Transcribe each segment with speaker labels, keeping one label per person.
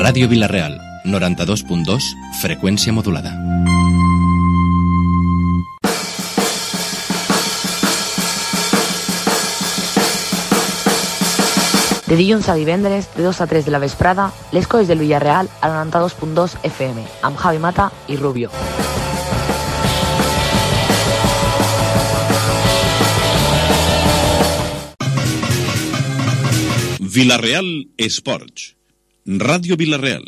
Speaker 1: Ràdio Vila-real, 92.2, freqüència modulada.
Speaker 2: De dilluns a divendres, de 2 a 3 de la vesprada, les colles del Villarreal a 92.2 FM, amb Javi Mata i Rubio.
Speaker 3: Villarreal Esports, Radio Villarreal.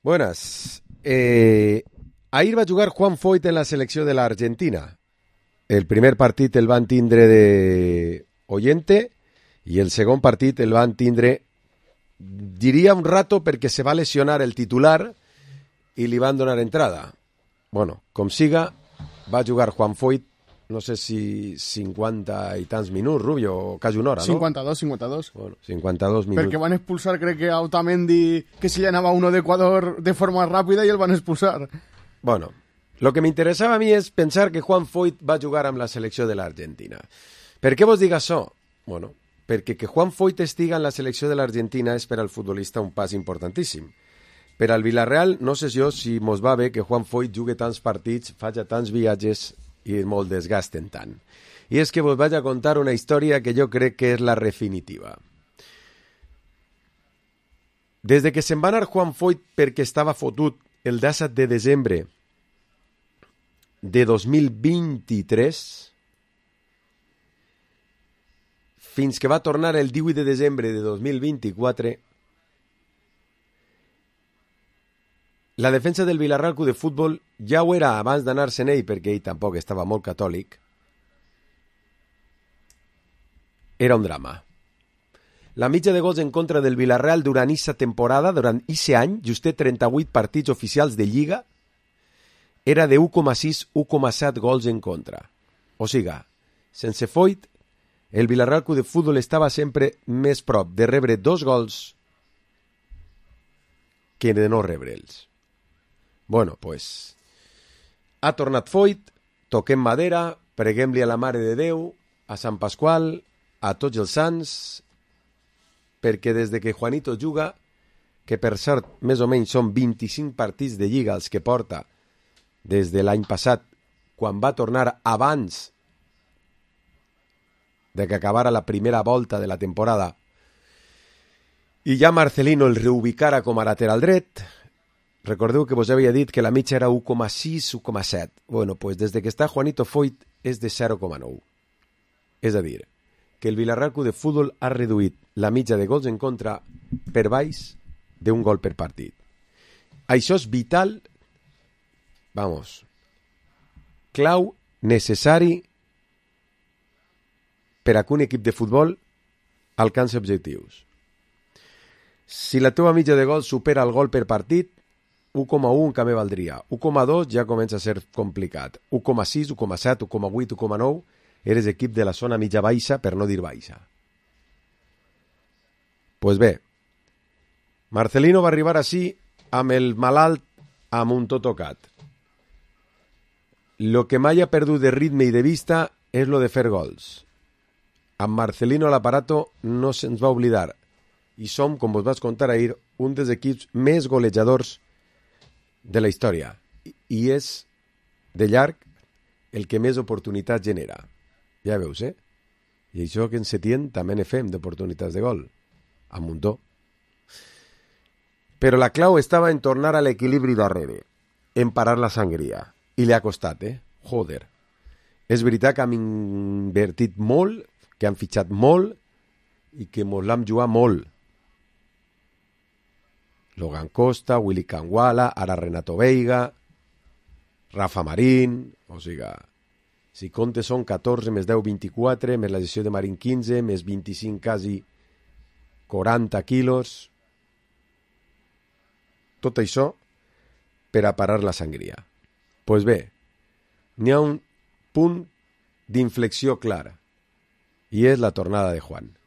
Speaker 4: Buenas. Ahir va jugar Juan Foyt en la selecció de l'Argentina. El primer partit el van tindre de oyente i el segon partit el van tindre, diria un rato, perquè se va lesionar el titular i li van donar entrada. Bueno, com siga, va jugar Juan Foyt, no sé si 50 i tants minuts, Rubio, o quasi una hora, no?
Speaker 5: 52.
Speaker 4: Bueno, 52 minuts.
Speaker 5: Perquè van expulsar, crec que a Otamendi, que se llenava uno de Ecuador de forma ràpida i el van expulsar.
Speaker 4: Bueno, lo que m'interessava a mi és pensar que Juan Foyt va jugar amb la selecció de l'Argentina. Per què vos dic això? Bueno, perquè que Juan Foyt estiga en la selecció de l'Argentina és per al futbolista un pas importantíssim. Per al Villarreal, no sé jo si mos va bé que Juan Foyt jugui tants partits, faci tants viatges i molt desgasten tant. I és que vos vaig a contar una història que jo crec que és la definitiva. Des de que se'n va anar Juan Foyt perquè estava fotut el 17 de desembre de 2023 fins que va tornar el 18 de desembre de 2024, la defensa del Villarreal Club de Futbol ja ho era abans d'anar-se'n ell, perquè ell tampoc estava molt catòlic. Era un drama. La mitja de gols en contra del Villarreal durant aquesta temporada, durant aquest any, justet 38 partits oficials de Lliga, era de 1,6-1,7 gols en contra. O sigui, sense Foyt, el Villarreal Club de Futbol estava sempre més prop de rebre 2 gols que de no rebre'ls. Bueno, pues, ha tornat Foyt, toquem madera, preguem-li a la Mare de Déu, a Sant Pasqual, a tots els sants, perquè des de que Juanito juga, que per cert, més o menys són 25 partits de Lliga els que porta des de l'any passat, quan va tornar abans de que acabara la primera volta de la temporada, i ja Marcelino el reubicara com a lateral dret. Recordeu que vos havia dit que la mitja era 1,6, 1,7. Bueno, pues des de que està Juanito Foyt és de 0,9. És a dir, que el Villarreal Club de Futbol ha reduït la mitja de gols en contra per baix d'un gol per partit. Això és vital, vamos, clau, necessari per a que un equip de futbol alcanci objectius. Si la teva mitja de gols supera el gol per partit, 1,1 que me valdria. 1,2 ja comença a ser complicat. 1,6, 1,7, 1,8, 1,9 eres equip de la zona mitja baixa, per no dir baixa. Pues bé, Marcelino va arribar així amb el malalt amb un tot tocat. Lo que mai ha perdut de ritme i de vista és lo de fer gols. Amb Marcelino a l'aparato no se'ns va oblidar i som, com vos vaig contar ahir, un dels equips més golejadors de la història i és de llarg el que més oportunitats genera. Ja veus, eh? I això que en Setién també ne fem d'oportunitats de gol, a muntó. Però la clau estava en tornar a l'equilibri darrere, en parar la sangria. I li ha costat, Joder. És veritat que hem invertit molt, que han fitxat molt i que mos l'hem jugat molt. Logan Costa, Willy Canguala, ara Renato Veiga, Rafa Marín, o sigui, si comptes són 14 més 10, 24, més la gestió de Marín 15, més 25, quasi 40 quilos. Tot això per a parar la sangria. Pues bé, n'hi ha un punt d'inflexió clara i és la tornada de Juan.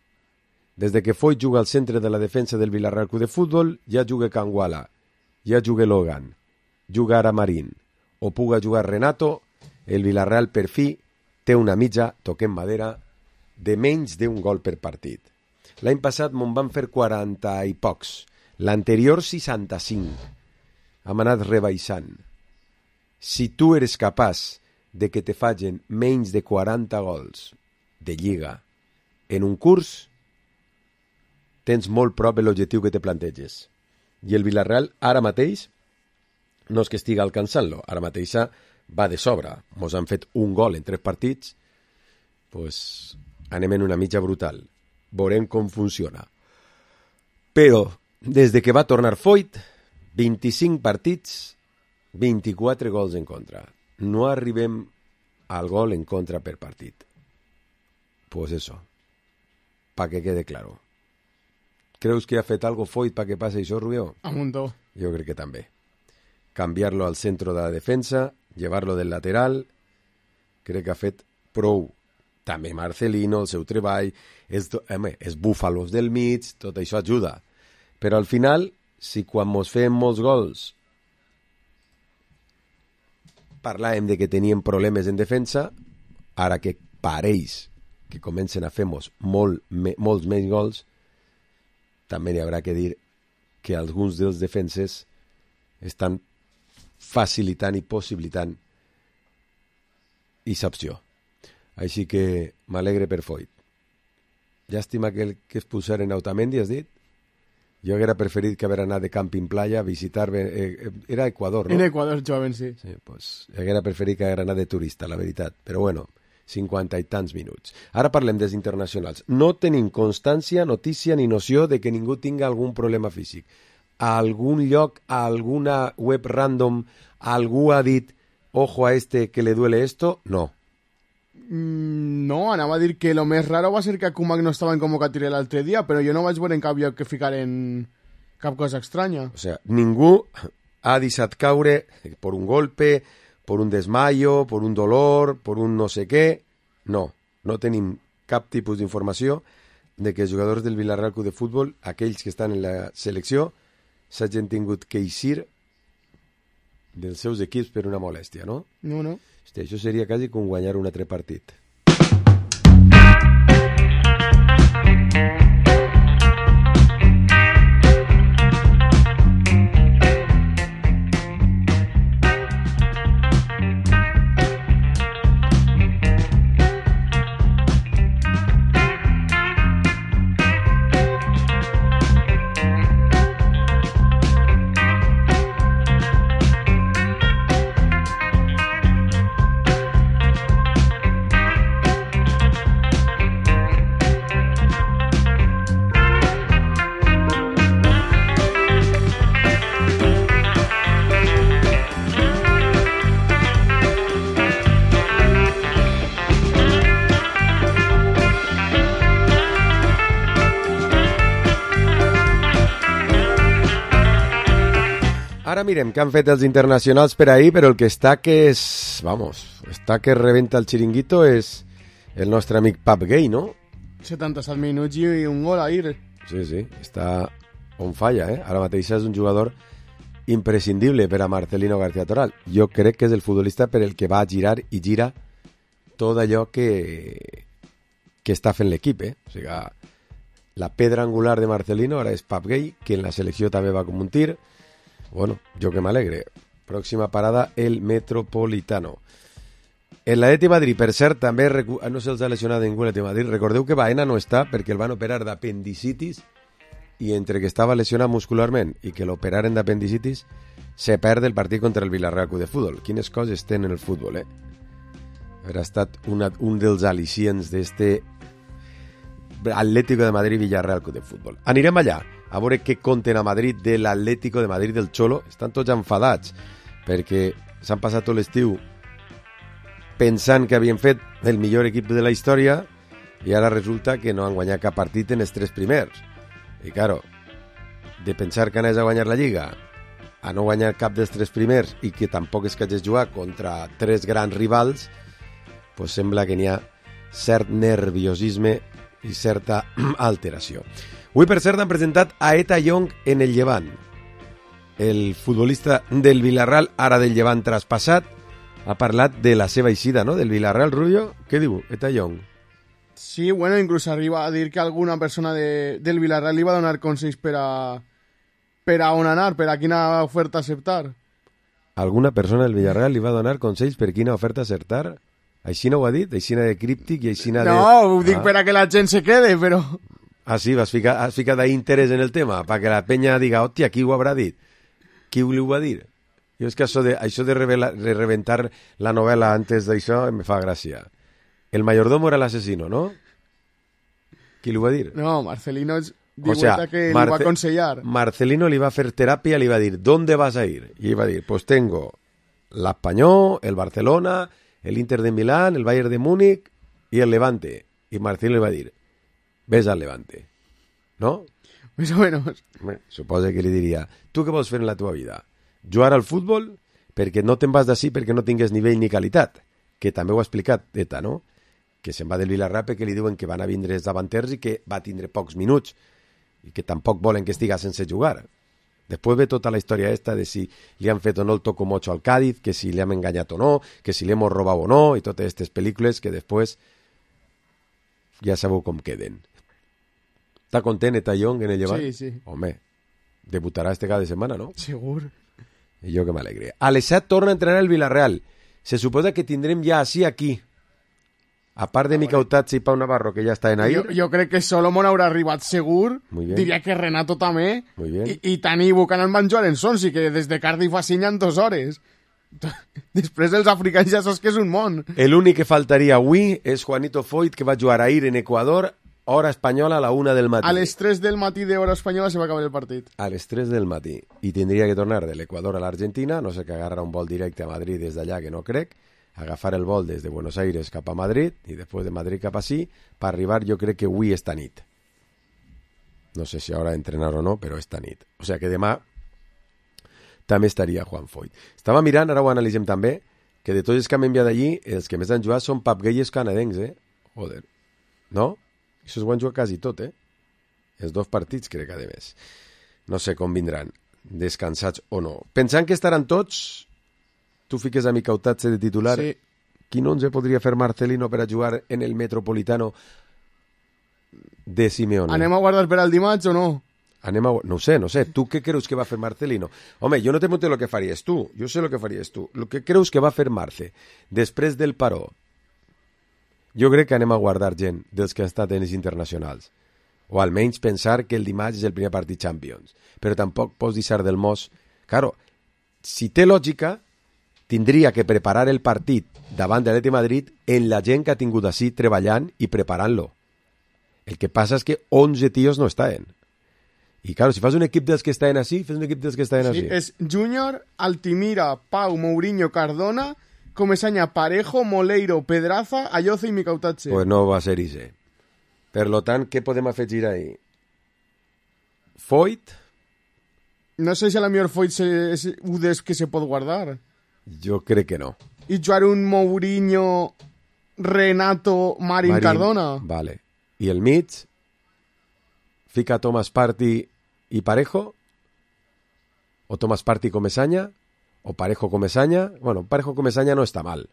Speaker 4: Des de que Foyt juga al centre de la defensa del Villarreal Club de Futbol, ja juga Canguala, ja juga Logan, juga ara Marín, o puga jugar Renato, el Villarreal per fi té una mitja, toquem madera, de menys d'un gol per partit. L'any passat me'n van fer 40 i pocs. L'anterior 65. Hem anat rebaixant. Si tu eres capaç de que te facin menys de 40 gols de Lliga en un curs, tens molt prop de l'objectiu que te planteges. I el Villarreal ara mateix no és que estigui alcançant-lo, ara mateix va de sobre. Mos han fet un gol en 3 partits, pues anem en una mitja brutal. Veurem com funciona. Però, des de que va tornar Foyt, 25 partits, 24 gols en contra. No arribem al gol en contra per partit. Pues eso, pa que quede claro. ¿Creus que ha fet algo Foyt para que pase això, Rubió?
Speaker 5: A muntó.
Speaker 4: Yo creo que també. Cambiarlo al centro de la defensa, llevarlo del lateral, crec que ha fet prou. També Marcelino, el seu treball, és búfalos del mig, tot això ajuda. Però al final, si quan mos fem molts gols parlàvem de que teníem problemes en defensa, ara que pareix que comencen a fer-nos molts menys gols, també hi haurà que dir que alguns dels defenses estan facilitant i possibilitant aquesta opció. Així que m'alegre per Foyt. Llàstima que es posaren Otamendi, has dit? Jo hauria preferit que haver anat de camping playa a visitar... era Equador, no?
Speaker 5: En Equador joven, sí.
Speaker 4: Sí, pues hauria preferit que haver anat de turista, la veritat. Però bueno, 50 i tants minuts. Ara parlem dels internacionals. No tenim constància, notícia ni noció de que ningú tinga algun problema físic. A algun lloc, a alguna web random, algú ha dit ojo a este que le duele esto? No.
Speaker 5: No, anava a dir que lo més raro va ser que Kumak no estava en convocatòria l'altre dia, però jo no vaig veure en cap lloc que ficaren cap cosa estranya.
Speaker 4: O sea, ningú ha deixat caure por un golpe, por un desmayo, por un dolor, por un no sé què. No, no tenim cap tipus d'informació de que els jugadors del Villarreal Club de Futbol, aquells que estan en la selecció, s'hagin tingut que eixir dels seus equips per una molèstia, no?
Speaker 5: No, no.
Speaker 4: Hòstia, això seria quasi com guanyar un altre partit. Ara mirem què han fet els internacionals per ahir, però el que està que és... Vamos, està que rebenta el xiringuito és el nostre amic Pap Gay, no?
Speaker 5: 77 minuts i un gol ahir.
Speaker 4: Sí, sí, està on falla, eh? Ara mateix és un jugador imprescindible per a Marcelino García Toral. Jo crec que és el futbolista per el que va girar i gira tot allò que està fent l'equip, eh? O sigui, la pedra angular de Marcelino ara és Pap Gay, que en la selecció també va com un tir. Bueno, jo que m'alegre. Pròxima parada, el Metropolitano. En l'Atleti Madrid, per cert, també no se'ls ha lesionat ningú l'Atleti Madrid. Recordeu que Baena no està perquè el van operar d'apendicitis i entre que estava lesionat muscularment i que l'operaren d'apendicitis se perd el partit contra el Villarreal Club de Futbol. Quines coses tenen el futbol, eh? Haurà estat un dels al·licients d'este Atlético de Madrid Villarreal Club de Futbol. Anirem allà a veure què conten a Madrid de l'Atlético de Madrid del Cholo. Estan tots enfadats perquè s'han passat tot l'estiu pensant que havien fet el millor equip de la història i ara resulta que no han guanyat cap partit en els 3 primers. I claro, de pensar que anés a guanyar la Lliga a no guanyar cap dels 3 primers i que tampoc és que hagis jugat contra 3 grans rivals, pues sembla que n'hi ha cert nerviosisme i certa alteració. Avui, per cert, han presentat a Eta Young en el Llevant. El futbolista del Villarreal, ara del Llevant traspassat, ha parlat de la seva eixida, no?, del Villarreal. Rubio, què diu Eta Young?
Speaker 5: Sí, bueno, inclús arriba a dir que alguna persona del Villarreal li va donar consells per a per a on anar, per a quina oferta acceptar.
Speaker 4: Alguna persona del Villarreal li va donar consells per quina oferta acceptar? Així no ho ha dit? Així de críptic i així de...
Speaker 5: No, ho dic per a que la gent se quede, però...
Speaker 4: Ah, sí, has ficat d'interès en el tema, perquè la penya diga, hòstia, qui ho haurà dit? Qui li ho va dir? Jo és que això de reventar la novel·la antes d'això me fa gràcia. El mayordomo era l'asesino, ¿no? Qui li ho va dir?
Speaker 5: No, Marcelino que li va aconsellar.
Speaker 4: Marcelino li va fer teràpia, li va dir, ¿dónde vas a ir? I ell va dir, pues tengo l'Espanyol, el Barcelona, el Inter de Milán, el Bayern de Múnich y el Levante. Y Marcelino li va dir, ves al Levante. ¿No?
Speaker 5: Més o menos.
Speaker 4: Suposa que li diria, tu què vols fer en la teva vida? Jugar al futbol perquè no te'n vas d'ací perquè no tingues nivell ni qualitat, que també ho ha explicat Eta, no? Que se'n va del Villarreal perquè li diuen que van a vindre els davanters i que va tindre pocs minuts i que tampoc volen que estiga sense jugar. Després ve tota la història esta de si li han fet o no el tocomocho al Cádiz, que si li han enganyat o no, que si li hemos robado o no, i totes aquestes pel·lícules que després ja sabeu com queden. Està content Eta Young en el Llevant?
Speaker 5: Sí, sí.
Speaker 4: Home, debutarà este cada setmana, no?
Speaker 5: Segur.
Speaker 4: I jo que m'alegre. A les 7 torna a entrenar el Villarreal. Se suposa que tindrem ja així aquí. A part de Mica Utazzi i Pau Navarro, que ja està en ahir.
Speaker 5: Jo crec que Solomon haurà arribat segur. Diria que Renato també. I Tani i Buchanan van jugar en Sonsi, que des de Cardiff a Sinya en 2 hores. Després els africans ja saps que és un món.
Speaker 4: L'únic que faltaria avui és Juanito Foyt, que va jugar ahir en Equador, hora espanyola a la 1 del matí.
Speaker 5: A les 3 del matí d'hora espanyola se va acabar el partit.
Speaker 4: A les 3 del matí. I tindria que tornar de l'Equador a l'Argentina, no sé que agarra un vol directe a Madrid des d'allà, que no crec, agafar el vol des de Buenos Aires cap a Madrid i després de Madrid cap a sí, per arribar jo crec que avui esta nit. No sé si haurà d'entrenar o no, però esta nit. O sigui que demà també estaria Juan Foyt. Estava mirant, ara ho analitzem també, que de tots els que han enviat allí, els que més han jugat són papgueies canadencs, Joder. No? Això ho han jugat quasi tot, Els 2 partits, crec, a més. No sé com vindran, descansats o no. Pensant que estaran tots, tu fiques a Mica Utazzi de titular.
Speaker 5: Sí.
Speaker 4: Quin 11 podria fer Marcelino per a jugar en el Metropolitano de Simeone?
Speaker 5: Anem a guardar per al dimarts o no?
Speaker 4: No sé. Tu què creus que va fer Marcelino? Home, jo no te pregunto lo que faries tu. Jo sé lo que faries tu. Lo que creus que va fer Marce després del paró? Jo crec que anem a guardar gent dels que han estat en els internacionals. O almenys pensar que el dimarts és el primer partit Champions. Però tampoc pots deixar del mos. Claro, si té lògica, tindria que preparar el partit davant de l'Atlètic de Madrid en la gent que ha tingut així treballant i preparant-lo. El que passa és que 11 tios no estaven. I claro, si fas un equip dels que estaven així, fes un equip dels que estaven així.
Speaker 5: Sí, és Júnior, Altimira, Pau, Mourinho, Cardona, Comesaña, Parejo, Moleiro, Pedraza, Ayoce i Mica Utazzi.
Speaker 4: Pues no va ser ese. Per lo tant, què podem afegir ahí? Foyt?
Speaker 5: No sé si a la millor Foyt és un dels que se pot guardar.
Speaker 4: Jo crec que no.
Speaker 5: I jugar un Mourinho, Renato, Marín, Cardona.
Speaker 4: Vale. I el mig? Fica Thomas Partey i Parejo? O Thomas Partey Comesaña? O Parejo Comesaña? Bueno, Parejo Comesaña no està mal.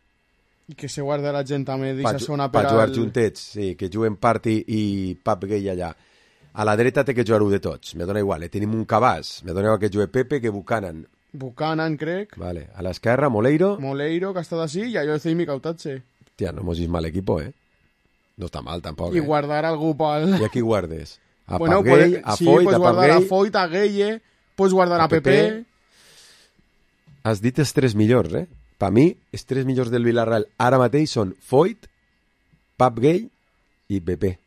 Speaker 5: I que se guarda la gent també d'eixa zona per
Speaker 4: jugar juntets, sí, que juguen Partey i Pap Gay allà. A la dreta té que jugar un de tots, me dona igual, tenim un cabàs, me dona igual que jugue Pepe que Buchanan.
Speaker 5: Buchanan, crec.
Speaker 4: Vale, a l'esquerra, Moleiro,
Speaker 5: que ha estat així, i Ayoce i Mica Utazzi.
Speaker 4: Tia, no hemos vist mal equipo, No està mal, tampoc,
Speaker 5: I guardar algú pel...
Speaker 4: I aquí guardes? A
Speaker 5: bueno,
Speaker 4: Pap Gay, a
Speaker 5: sí,
Speaker 4: Foyt,
Speaker 5: pues
Speaker 4: a Pap
Speaker 5: guardar
Speaker 4: Gay...
Speaker 5: a Foyt, a Gueye, pues guardar a Pepe.
Speaker 4: Has dit els 3 millors, Per mi, els 3 millors del Villarreal ara mateix són Foyt, Pap Gay i Pepe.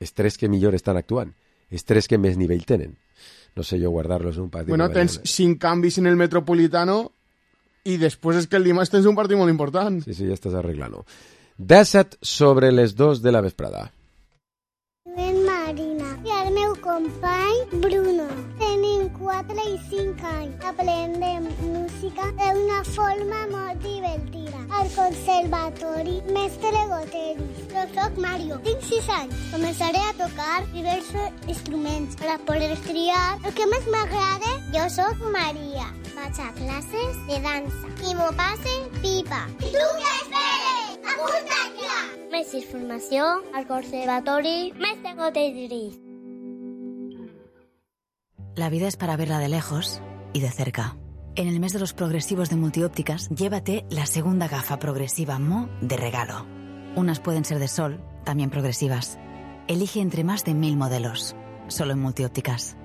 Speaker 4: Els 3 que millor estan actuant. Els 3 que més nivell tenen. No sé jo guardar-los en un partit.
Speaker 5: Bueno, tens 5 canvis en el Metropolitano i després és que el dimarts tens un partit molt important.
Speaker 4: Sí, ja estàs arreglant-ho. 17 sobre les 2 de la vesprada.
Speaker 6: Ben Marina i el meu company Bruno. Tenim 4 i 5 anys. Aprendem música d'una forma molt divertida. Al conservatori Mestre Goteris. Jo soc Mario, tinc 6 anys. Començaré a tocar diversos instruments per a poder triar el que més m'agrada. Jo soc Maria. Vaig a classes de dansa i m'ho passe pipa. I tu què esperes? Apunta't ja! Més informació al conservatori Mestre Goteris.
Speaker 7: La vida es para verla de lejos y de cerca. En el mes de los progresivos de Multiópticas, llévate la segunda gafa progresiva Mo de regalo. Unas pueden ser de sol, también progresivas. Elige entre más de 1000 modelos, solo en Multiópticas.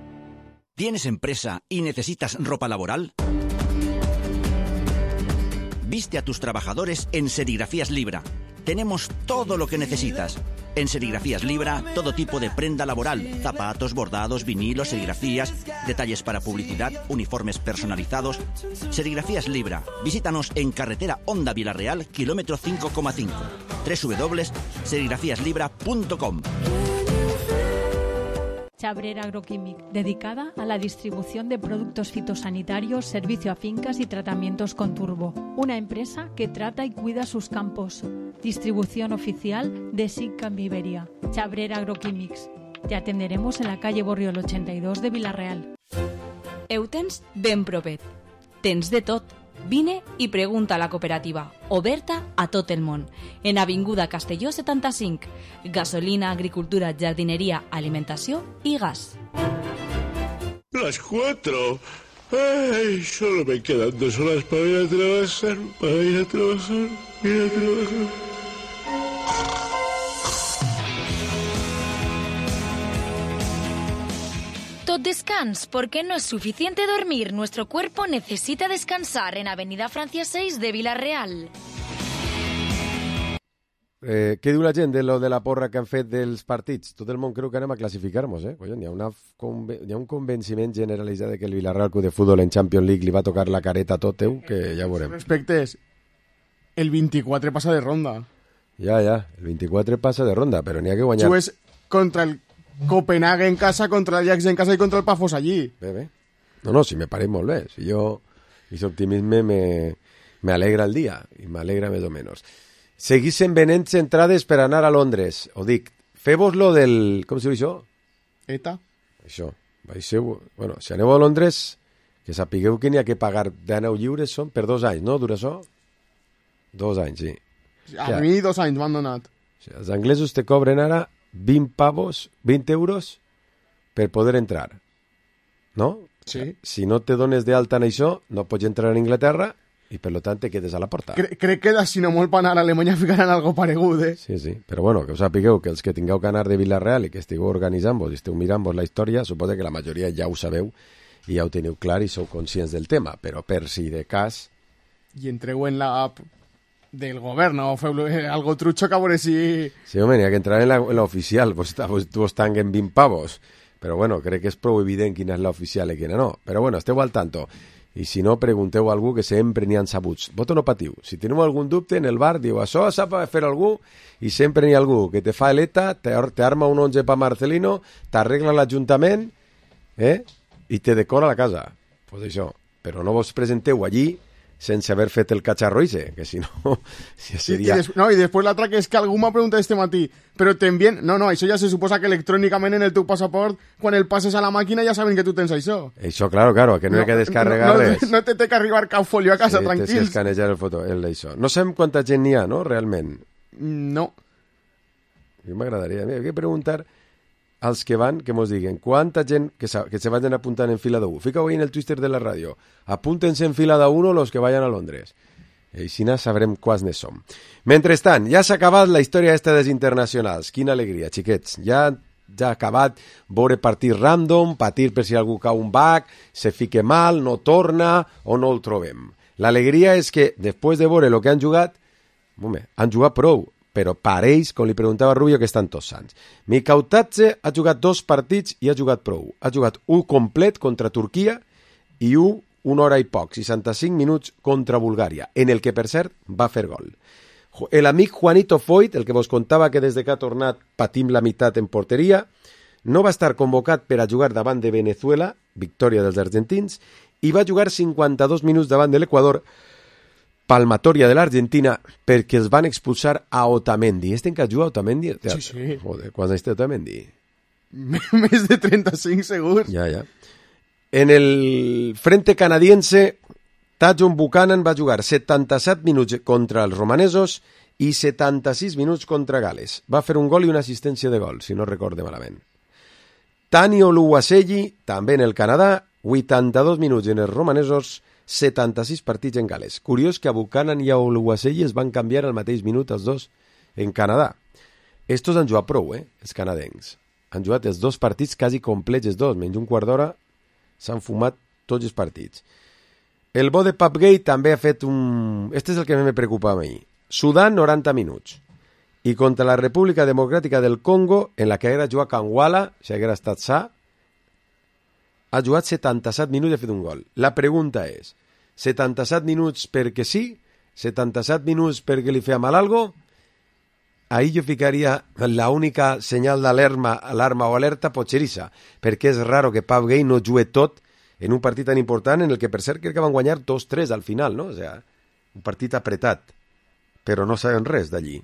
Speaker 8: ¿Tienes empresa y necesitas ropa laboral? Viste a tus trabajadores en Serigrafías Libra. Tenemos todo lo que necesitas. En Serigrafías Libra, todo tipo de prenda laboral, zapatos, bordados, vinilos, serigrafías, detalles para publicidad, uniformes personalizados. Serigrafías Libra. Visítanos en carretera Honda Vilarreal, kilómetro 5,5. www.serigrafíaslibra.com.
Speaker 9: Chabrera Agroquímic, dedicada a la distribución de productos fitosanitarios, servicio a fincas y tratamientos con turbo. Una empresa que trata y cuida sus campos. Distribución oficial de SICAM Iberia. Chabrera Agroquímics. Te atenderemos en la calle Borriol 82 de Vilarreal.
Speaker 10: Eutens ben propet. Tens de tot. Vine i pregunta a la cooperativa, oberta a tot el món, en Avinguda Castelló 75, gasolina, agricultura, jardinería, alimentació i gas.
Speaker 11: Las 4. Ay, solo me quedan 2 horas para ir a trabajar,
Speaker 12: Tot descans, porque no es suficiente dormir. Nuestro cuerpo necesita descansar en Avenida Francia 6 de Vilarreal.
Speaker 4: Què diu la gent de lo de la porra que han fet dels partits? Tot el món creu que anem a classificar-nos, Collons, hi ha un convenciment generalitzat de que el Vilarreal Club de Futbol en Champions League li va tocar la careta a tot que ja veurem.
Speaker 5: Respectes, el 24 passa de ronda.
Speaker 4: Ja, el 24 passa de ronda, però n'hi ha que guanyar.
Speaker 5: Jugues contra el Copenhague en casa, contra el Ajax en casa i contra el Pafos allí.
Speaker 4: Bé. No, si me pareix molt bé. Si jo, aquest optimisme me alegra el dia, i m'alegra més o menys. Seguissin venent entrades per anar a Londres. Ho dic, feu-vos lo del... Com se diu això?
Speaker 5: ETA.
Speaker 4: Això. Bueno, si aneu a Londres, que sapigueu que n'hi ha que pagar d'aneu lliures són per 2 anys, no? Dura això? 2 anys, sí.
Speaker 5: A mi 2 anys m'han donat.
Speaker 4: O sigui, els anglesos te cobren ara 20 euros per poder entrar. No?
Speaker 5: Sí.
Speaker 4: Si no te dones d'alta en això, no pots entrar a Inglaterra i per tant te quedes a la porta.
Speaker 5: Crec que si no molt per anar a Alemanya ficaran algo paregut,
Speaker 4: Sí. Però bueno, que us sapigueu que els que tingueu que anar de Vilarreal i que estigueu organitzant-vos i esteu mirant-vos la història, suposo que la majoria ja ho sabeu i ja ho teniu clar i sou conscients del tema, però per si de cas...
Speaker 5: I entreu en l'app del govern o feu algo trucho que a veure si...
Speaker 4: Sí, home, n'hi ha que entrar en l'oficial, vos tanguen 20 pavos. Però bueno, crec que és prou evident quina és l'oficial i quina no. Però bueno, esteu al tanto. I si no, pregunteu a algú que sempre n'hi ha sabuts. Vosaltres no patiu. Si teniu algun dubte en el bar, diu, això sap fer algú, i sempre n'hi ha algú que te fa l'ETA, t'arma un 11 pa Marcelino, t'arregla l'Ajuntament, i te decora la casa. Pues això. Però no vos presenteu allí sense haver fet el cacharro ese, que si no... seria...
Speaker 5: I després l'altra que és que algú m'ha preguntat este matí, però t'envien... No, això ja se suposa que electrònicament en el teu passaport, quan el passes a la màquina ja saben que tu tens això.
Speaker 4: Això, claro, que no hi ha que descarregar res.
Speaker 5: No te té que arribar cap folio a casa, tranquils.
Speaker 4: Tens que escanejar això. No sabem quanta gent n'hi ha, no, realment?
Speaker 5: No.
Speaker 4: A mi m'agradaria que preguntar als que van, que mos diguen quanta gent que se vayan apuntant en fila d'1. Fica-ho ahí en el Twitter de la ràdio. Apúntense en fila d'1 los que vayan a Londres. I així sabrem quants ne som. Mentrestant, ja s'ha acabat la història esta dels internacionals. Quina alegria, xiquets. Ja ha acabat veure partits random, patir per si algú cau un bac, se fique mal, no torna o no el trobem. L'alegria és que, després de veure el que han jugat, han jugat prou, però pareix, com li preguntava a Rubio, que estan tots sants. Mikautadze ha jugat 2 partits i ha jugat prou. Ha jugat un complet contra Turquia i una hora i poc, 65 minuts contra Bulgària, en el que, per cert, va fer gol. L'amic Juanito Foyt, el que vos contava que des que ha tornat patim la meitat en porteria, no va estar convocat per a jugar davant de Venezuela, victòria dels argentins, i va jugar 52 minuts davant de l'Equador, palmatòria de l'Argentina, perquè els van expulsar a Otamendi. En que juga Otamendi?
Speaker 5: Sí.
Speaker 4: Joder, quants anys té Otamendi?
Speaker 5: Més de 35, segur.
Speaker 4: Ja. En el frente canadiense, Tajon Buchanan va jugar 77 minuts contra els romanesos i 76 minuts contra Gales. Va fer un gol i una assistència de gol, si no recorde malament. Tani Oluwaseyi, també en el Canadà, 82 minuts en els romanesos, 76 partits en gal·les. Curiós que a Buchanan i a Oluwaseyi es van canviar al mateix minut els dos en Canadà. Estos han jugat prou, els canadencs. Han jugat els dos partits quasi complets, els dos, menys un quart d'hora, s'han fumat tots els partits. El bo de Papgay també ha fet un... Este és el que me preocupava a mi. Sudan, 90 minuts. I contra la República Democràtica del Congo, en la que haguera jugat Kangwala, si haguera estat sa, ha jugat 77 minuts i ha fet un gol. La pregunta és, 77 minuts perquè sí? 77 minuts perquè li feia mal algo? Ahí jo ficaria la única senyal d'alarma o alerta potxerissa, perquè és raro que Papgay no jugui tot en un partit tan important en el que per cert crec que van guanyar 2-3 al final, no? O sea, un partit apretat, però no saben res d'allí.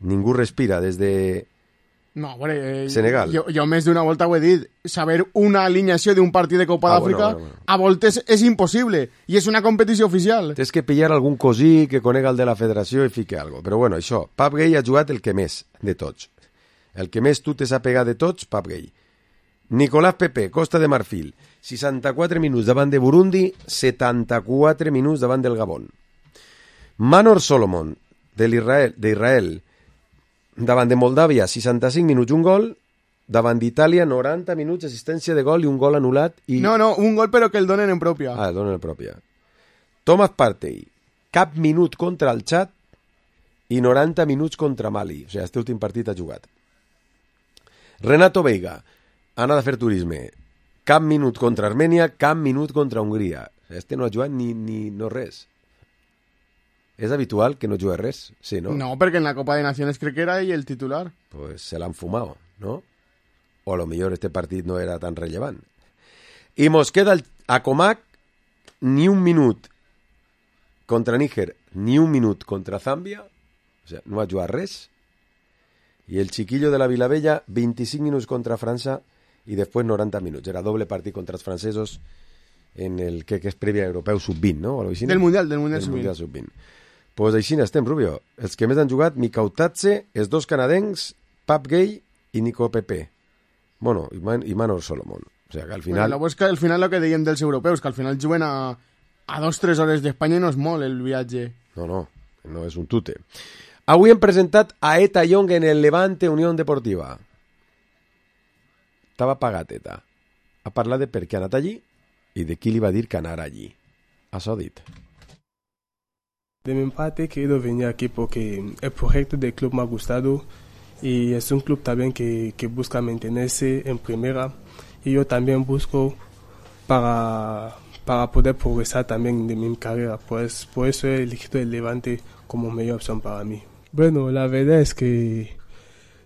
Speaker 4: Ningú respira des de Senegal.
Speaker 5: Jo més d'una volta ho he dit, saber una alineació d'un partit de Copa d'Àfrica a voltes és impossible, i és una competició oficial.
Speaker 4: Tens que pillar algun cosí que conega el de la federació i fique algo. Però bueno, això, Papgay ha jugat el que més de tots. El que més tu te s'ha pegat de tots, Papgay. Nicolás Pepe, Costa de Marfil, 64 minuts davant de Burundi, 74 minuts davant del Gabon. Manor Solomon, d'Israel, davant de Moldàvia, 65 minuts, un gol. Davant d'Itàlia, 90 minuts, assistència de gol i un gol anul·lat.
Speaker 5: No, un gol però que el donen en pròpia.
Speaker 4: El donen en pròpia. Thomas Partey, cap minut contra el Txad i 90 minuts contra Mali. O sigui, este últim partit ha jugat. Renato Veiga, anat a fer turisme. Cap minut contra Armènia, cap minut contra Hongria. Este no ha jugat ni no res. ¿Es habitual que no juegue res? Sí, ¿no?
Speaker 5: No, porque en la Copa de Naciones creo que era ell el titular.
Speaker 4: Pues se l'han fumado, ¿no? O a lo millor este partit no era tan rellevant. I mos queda a Comac ni un minut contra Níger, ni un minut contra Zàmbia, o sea, no ha jugat res. I el chiquillo de la Vilavella, 25 minuts contra França i després 90 minuts. Era doble partit contra els francesos en el que és prèvia europeu sub-20, no?
Speaker 5: Del Mundial
Speaker 4: sub-20. Pues així n'estem, Rubio. Els que més han jugat, Mikautatze, els dos canadencs, Papgay i Nico Pepe. Bueno, i Manor Solomon. O sea, que al final...
Speaker 5: Bueno, al final lo que deien dels europeus, que al final juguen a 2-3 hores d'Espanya i no és molt el viatge.
Speaker 4: No és un tute. Avui hem presentat a Eta Young en el Levante Unión Deportiva. Estava pagat, Eta. Ha parlat de per què ha anat allí i de qui li va dir que anara allí. Això ha dit.
Speaker 13: De mi parte he querido venir aquí porque el proyecto del club me ha gustado y es un club también que busca mantenerse en primera y yo también busco para poder progresar también de mi carrera, pues por eso he elegido el Levante como mejor opción para mí. Bueno, la verdad es que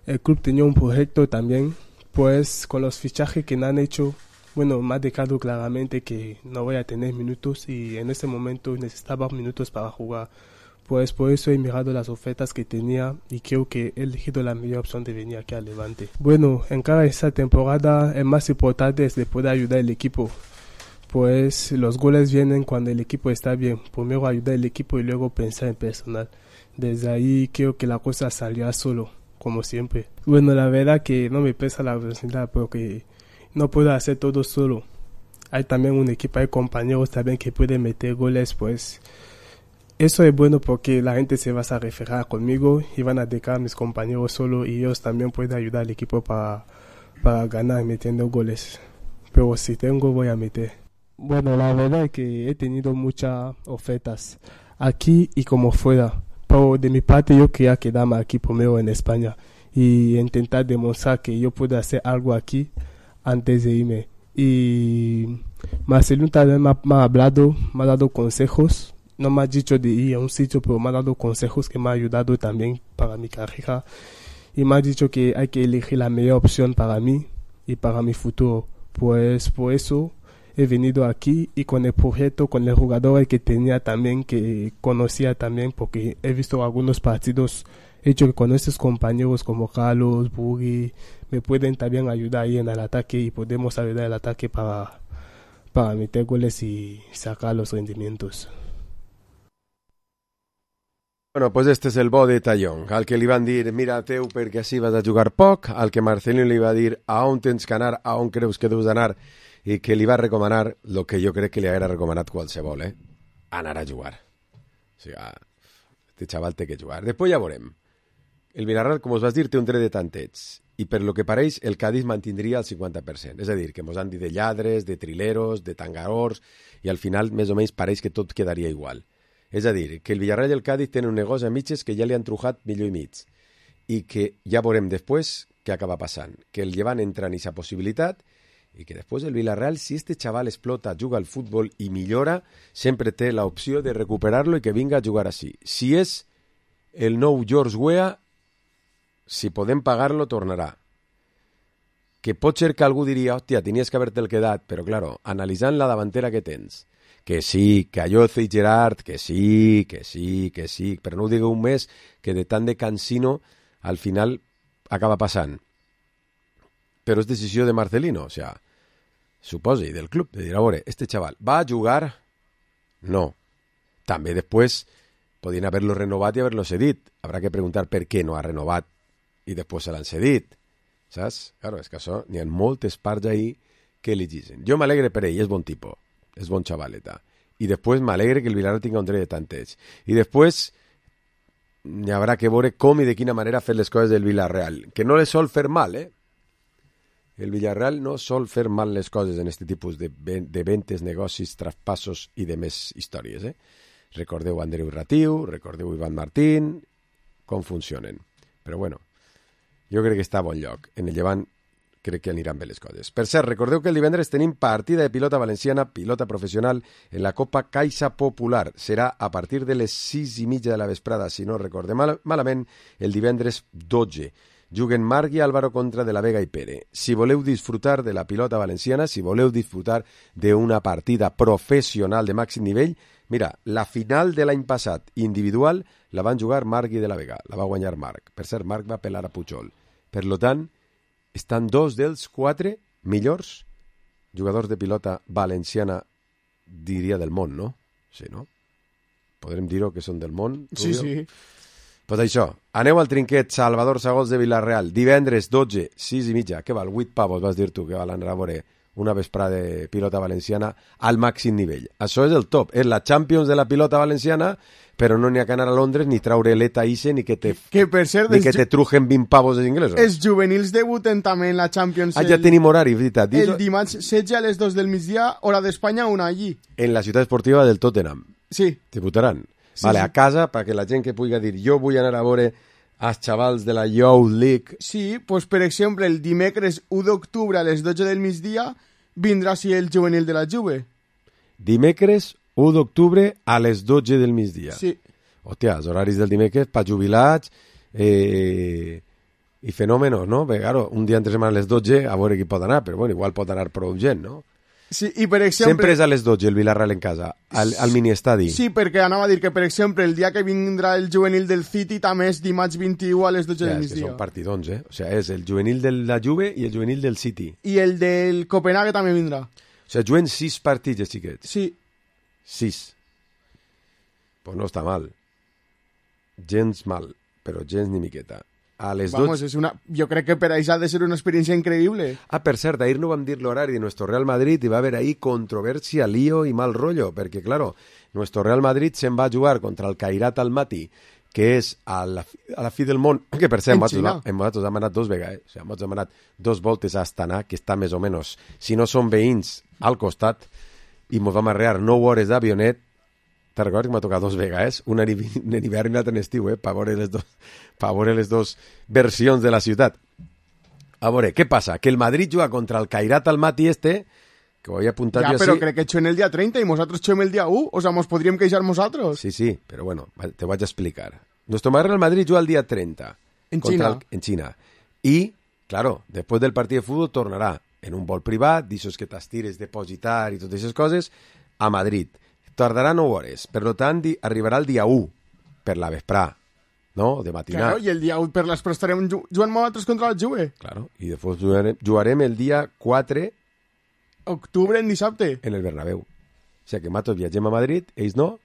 Speaker 13: el club tenía un proyecto también, pues con los fichajes que me han hecho, bueno, me ha dejado claramente que no voy a tener minutos y en este momento necesitaba minutos para jugar. Pues por eso he mirado las ofertas que tenía y creo que he elegido la mejor opción de venir aquí al Levante. Bueno, en cada esta temporada el más importante es de poder ayudar al equipo. Pues los goles vienen cuando el equipo está bien. Primero ayudar al equipo y luego pensar en personal. Desde ahí creo que la cosa salió solo, como siempre. Bueno, la verdad que no me pesa la velocidad porque no puedo hacer todo solo. Hay también un equipo, hay compañeros también que pueden meter goles, pues eso es bueno porque la gente se va a referir conmigo y van a dejar a mis compañeros solo y ellos también pueden ayudar al equipo para ganar metiendo goles. Pero si tengo, voy a meter. Bueno, la verdad es que he tenido muchas ofertas aquí y como fuera. Pero de mi parte yo quería quedarme aquí primero en España y intentar demostrar que yo puedo hacer algo aquí antes de irme. Y Marcelino también me ha hablado, me ha dado consejos. No me ha dicho de ir a un sitio, pero me ha dado consejos que me ha ayudado también para mi carrera. Y me ha dicho que hay que elegir la mejor opción para mí y para mi futuro. Pues por eso he venido aquí y con el proyecto, con el jugador que tenía también, que conocía también, porque he visto algunos partidos. He hecho que con estos compañeros como Carlos, Bugui, me pueden también ayudar ahí en el ataque y podemos ayudar al ataque para meter goles y sacar los rendimientos.
Speaker 4: Bueno, pues este és el bo de Tallón, al que li van dir, mira teu perquè així vas a jugar poc, al que Marcelino li va dir a on tens que anar, a on creus que deus d'anar, i que li va recomanar el que jo crec que li haguera recomanat qualsevol, anar a jugar. O sigui, este xaval té que jugar. Després ja veurem. El Villarreal, com us vas dir, té un dret de tanteig, i per lo que pareix, el Cádiz mantindria el 50%. És a dir, que mos han dit de lladres, de trileros, de tangadors, i al final, més o menys, pareix que tot quedaria igual. És a dir, que el Villarreal i el Cádiz tenen un negoci a mitges que ja li han trujat millor i mig, i que ja veurem després què acaba passant, que el Llevant entra en aquesta possibilitat, i que després el Villarreal, si este xaval explota, juga al futbol i millora, sempre té l'opció de recuperar-lo i que vinga a jugar així. Si és el nou George Weah, si podem pagar-lo, tornarà. Que pot ser que algú diria, hòstia, tenies que haver-te'l quedat, però, claro, analitzant la davantera que tens, que sí, que Ayoce i Gerard, que sí, però no ho digueu més, que de tant de cansino al final acaba passant. Però és decisió de Marcelino, o sea, suposi, del club, de dir, a veure, este xaval, ¿va a jugar? No. També després podien haver-lo renovat i haver-lo cedit. Habrá que preguntar per què no ha renovat i després se l'han cedit. Saps? Claro, és que això, n'hi ha moltes parts ahí que li dicen. Jo m'alegre per ell, és bon tipus. És bon xavaleta. I després m'alegre que el Villarreal tinga un dret de tanteig. I després hi haurà que veure com i de quina manera fer les coses del Villarreal. Que no les sol fer mal, El Villarreal no sol fer mal les coses en aquest tipus de ventes, negocis, traspassos i de més històries, Recordeu Andreu Ratiu, recordeu Ivan Martín, com funcionen. Però bueno, jo crec que està a bon lloc. En el Llevant crec que aniran bé les coses. Per cert, recordeu que el divendres tenim partida de pilota valenciana, pilota professional, en la Copa Caixa Popular. Serà a partir de les 6:30 de la vesprada, si no recordem malament, el divendres 12. Juguen Marc i Álvaro contra De la Vega i Pere. Si voleu disfrutar de la pilota valenciana, si voleu disfrutar d'una partida professional de màxim nivell, mira, la final de l'any passat individual la van jugar Marc i De la Vega. La va guanyar Marc. Per cert, Marc va pelar a Pujol. Per lo tant, estan 2 dels 4 millors jugadors de pilota valenciana, diria, del món, no? Sí, no? Podrem dir-ho que són del món?
Speaker 5: Sí, sí.
Speaker 4: Pues això, aneu al trinquet Salvador Sagols de Villarreal, divendres 12, 6:30, què val? 8 pavos, vas dir tu, que val anar a veure una vesprada de pilota valenciana al màxim nivell. Això és el top, és la Champions de la pilota valenciana, però no n'hi ha que anar a Londres ni traure l'ETA Ise ni que te trujen 20 pavos els inglesos.
Speaker 5: Els juvenils debuten també en la Champions.
Speaker 4: Ja tenim horari, veritat.
Speaker 5: El dimarts 16 a les 2 del migdia, hora d'Espanya, una allí.
Speaker 4: En la ciutat esportiva del Tottenham.
Speaker 5: Sí.
Speaker 4: Debutaran.
Speaker 5: Sí,
Speaker 4: vale,
Speaker 5: sí.
Speaker 4: A casa, perquè la gent que pugui dir jo vull anar a veure als xavals de la Youth League.
Speaker 5: Sí, pues per exemple, el dimecres 1 d'octubre a les 12 del migdia vindrà així el juvenil de la Juve.
Speaker 4: Dimecres 1 d'octubre a les 12 del migdia.
Speaker 5: Sí.
Speaker 4: Hòstia, els horaris del dimecres per jubilats i fenòmenos, no? Perquè, claro, un dia entre setmana a les 12 a veure qui pot anar, però bueno, igual pot anar prou gent, no?
Speaker 5: Sí, i per exemple...
Speaker 4: Sempre és a les 12 el Villarreal en casa, al miniestadi.
Speaker 5: Sí, perquè anava a dir que, per exemple, el dia que vindrà el juvenil del City també és dimarts 21 a les 12 del migdia.
Speaker 4: Són partidons, O sigui, és el juvenil de la Juve i el juvenil del City.
Speaker 5: I el del Copenhague també vindrà.
Speaker 4: O sigui, juguen 6 partits, els xiquets.
Speaker 5: Sí.
Speaker 4: 6. Pues no està mal. Gens mal, però gens ni miqueta. A les
Speaker 5: Vamos,
Speaker 4: 12...
Speaker 5: és una... jo crec que per això ha de ser una experiència increïble.
Speaker 4: Ah, per cert, ahir no vam dir l'horari de nuestro Real Madrid i va haver ahí controversia, lío i mal rollo, perquè, claro, nuestro Real Madrid se'n va a jugar contra el Kairat Almaty, que és a la fi del món, que per cert, nosaltres hem anat 2 vegades, o sigui, nosaltres hem anat 2 voltes a Astana, que està més o menys, si no són veïns, al costat, i ens vam arrear 9 hores d'avionet. Te'n recordes que m'ha tocat 2 vegades? Una en hivern i l'altra en estiu, per veure les dos versions de la ciutat. A veure, què passa? Que el Madrid juga contra el Kairat Almaty que ho havia apuntat jo
Speaker 5: així. Ja, però crec que xuem el dia 30 i nosaltres xuem el dia 1. O sea, mos podríem queixar nosaltres.
Speaker 4: Sí, però bueno, te vaig a explicar. Nuestro Real Madrid juga el dia 30.
Speaker 5: En China.
Speaker 4: En China. I, claro, després del partit de futbol tornarà en un vol privat, d'aixòs que t'estires, depositar i totes aquestes coses, a Madrid. Tardarà 9 hores, per tant arribarà el dia 1 per la vesprà, no? De matinar.
Speaker 5: Claro, i el dia 1 per l'esprà estarem jugant nosaltres contra la Juve.
Speaker 4: Claro, i després jugarem el dia 4
Speaker 5: octubre, en dissabte.
Speaker 4: En el Bernabéu. O sigui que nosaltres viatgem a Madrid, ells no,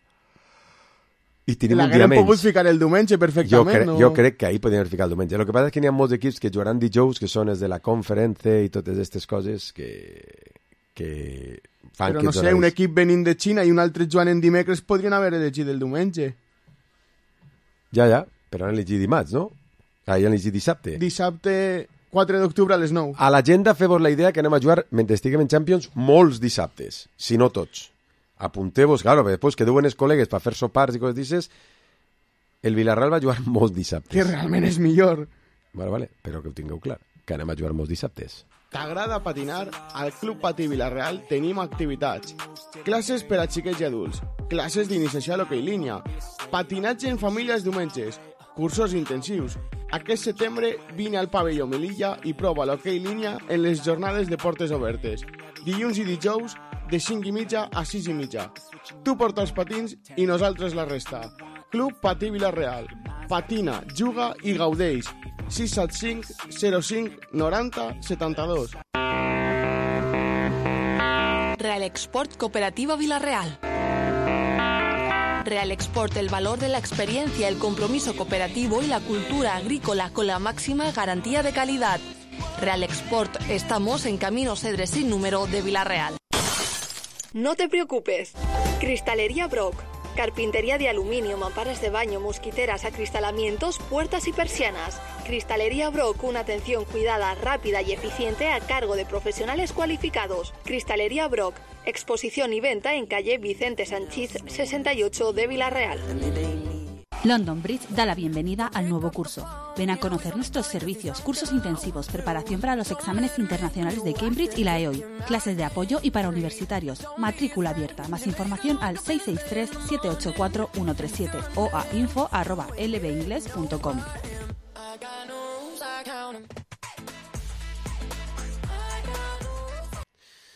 Speaker 4: I tenim un dia menys.
Speaker 5: L'haguem pogut ficar el diumenge perfectament.
Speaker 4: Jo crec que ahir podíem ficar el diumenge. El que passa és que n'hi ha molts equips que jugaran dijous, que són els de la conferència i totes aquestes coses que fan
Speaker 5: però no sé, un equip venint de Xina i un altre jugant en dimecres podrien haver elegit el diumenge.
Speaker 4: Ja, però han elegit dimarts, no? Han elegit dissabte.
Speaker 5: Dissabte 4 d'octubre a les 9.
Speaker 4: A l'agenda feu-vos la idea que anem a jugar, mentre estiguem en Champions, molts dissabtes, si no tots. Apunteu-vos, claro, perquè després que duen els col·legues per fer sopars i coses d'aixes, el Villarreal va jugar molts dissabtes.
Speaker 5: Que realment és millor.
Speaker 4: Vale, però que ho tingueu clar, que anem a jugar molts dissabtes.
Speaker 5: T'agrada patinar? Al Club Patí Villarreal tenim activitats. Classes per a xiquets i adults, classes d'iniciació a l'hoquei línia, patinatge en família els diumenges, cursos intensius. Aquest setembre vine al pavelló Melilla i prova l'hoquei línia en les jornades de portes obertes. Dilluns i dijous de 5:30 a 6:30. Tu porta els patins i nosaltres la resta. Club Patí Villarreal. Patina, juga i gaudeix. 675 05 90 72.
Speaker 14: Real Export Cooperativa Villarreal. Real Export, el valor de la experiencia, el compromiso cooperativo y la cultura agrícola con la máxima garantía de calidad. Real Export, estamos en Camino Cedres sin número de Villarreal.
Speaker 15: No te preocupes. Cristalería Brock. Carpintería de aluminio, mamparas de baño, mosquiteras, acristalamientos, puertas y persianas. Cristalería Brock, una atención cuidada, rápida y eficiente a cargo de profesionales cualificados. Cristalería Brock, exposición y venta en calle Vicente Sanchís 68 de Villarreal.
Speaker 16: London Bridge da la bienvenida al nuevo curso. Ven a conocer nuestros servicios, cursos intensivos, preparación para los exámenes internacionales de Cambridge y la EOI, clases de apoyo y para universitarios, matrícula abierta. Más información al 663-784-137 o a info@lbingles.com.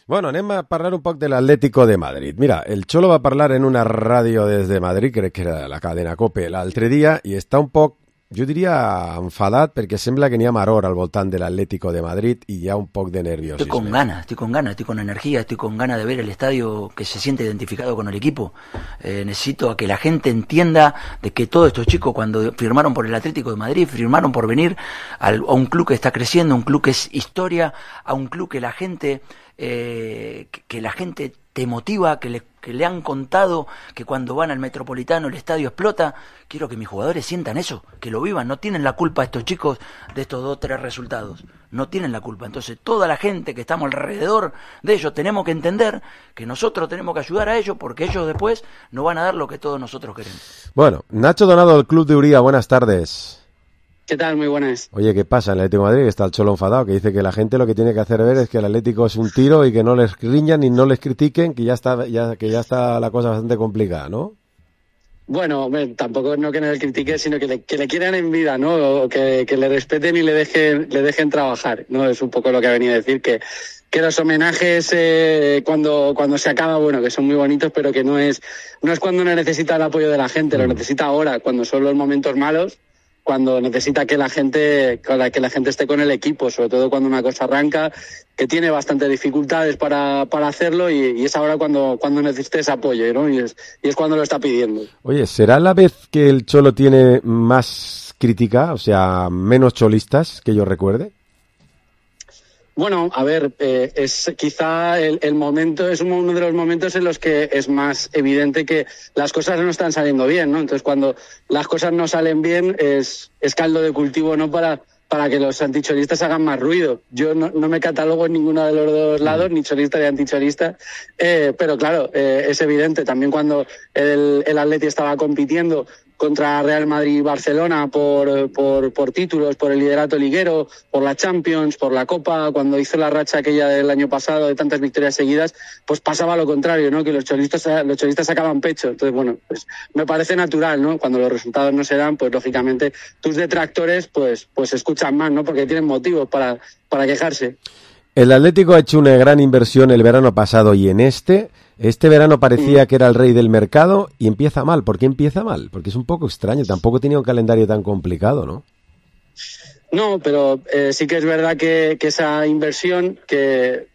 Speaker 4: Bueno, anem a parlar un poc de l'Atlético de Madrid. Mira, el Cholo va parlar en una ràdio des de Madrid, crec que era la cadena COPE, l'altre dia, i està un poc, jo diria, enfadat, perquè sembla que n'hi ha maror al voltant de l'Atlético de Madrid y hi ha un poc de nerviosisme.
Speaker 17: Estoy con ganas, estoy con energía, estoy con ganas de ver el estadio que se siente identificado con el equipo. Necesito a que la gente entienda de que todos estos chicos cuando firmaron por el Atlético de Madrid, firmaron por venir a un club que está creciendo, un club que es historia, a un club que la gente te motiva, que le han contado que cuando van al Metropolitano el estadio explota. Quiero que mis jugadores sientan eso, que lo vivan. No tienen la culpa estos chicos de estos 2-3 resultados, no tienen la culpa. Entonces toda la gente que estamos alrededor de ellos tenemos que entender que nosotros tenemos que ayudar a ellos, porque ellos después nos van a dar lo que todos nosotros queremos.
Speaker 4: Bueno, Nacho Donado del Club de Uría, buenas tardes.
Speaker 18: ¿Qué tal? Muy buenas.
Speaker 4: Oye, ¿qué pasa en el Atlético de Madrid? Que está el Cholo enfadado, que dice que la gente lo que tiene que hacer ver es que el Atlético es un tiro y que no les riñan ni no les critiquen, que ya está la cosa bastante complicada, ¿no?
Speaker 18: Bueno, tampoco no que no le critiquen, sino que le quieran en vida, ¿no? O que le respeten y le dejen trabajar, ¿no? Es un poco lo que ha venido a decir, que los homenajes cuando se acaba, bueno, que son muy bonitos, pero que no es cuando no necesita el apoyo de la gente, lo necesita ahora, cuando son los momentos malos, cuando necesita que la gente esté con el equipo, sobre todo cuando una cosa arranca, que tiene bastantes dificultades para hacerlo, y es ahora cuando necesita ese apoyo, ¿no? Y es cuando lo está pidiendo.
Speaker 4: Oye, ¿será la vez que el Cholo tiene más crítica, o sea, menos cholistas, que yo recuerde?
Speaker 18: Bueno, a ver, es quizá el momento, es uno de los momentos en los que es más evidente que las cosas no están saliendo bien, ¿no? Entonces, cuando las cosas no salen bien, es caldo de cultivo, ¿no? Para que los anticholistas hagan más ruido. Yo no me catalogo en ninguno de los dos lados, ni cholista ni anticholista, pero claro, es evidente. También cuando el Atleti estaba compitiendo contra Real Madrid y Barcelona por títulos, por el liderato liguero, por la Champions, por la Copa, cuando hizo la racha aquella del año pasado de tantas victorias seguidas, pues pasaba lo contrario, ¿no? Que los cholistas sacaban pecho. Entonces, bueno, pues me parece natural, ¿no? Cuando los resultados no se dan, pues lógicamente tus detractores pues escuchan más, ¿no? Porque tienen motivos para quejarse.
Speaker 4: El Atlético ha hecho una gran inversión el verano pasado y en este verano parecía que era el rey del mercado y empieza mal. ¿Por qué empieza mal? Porque es un poco extraño, tampoco tenía un calendario tan complicado, ¿no?
Speaker 18: No, pero sí que es verdad que esa inversión, que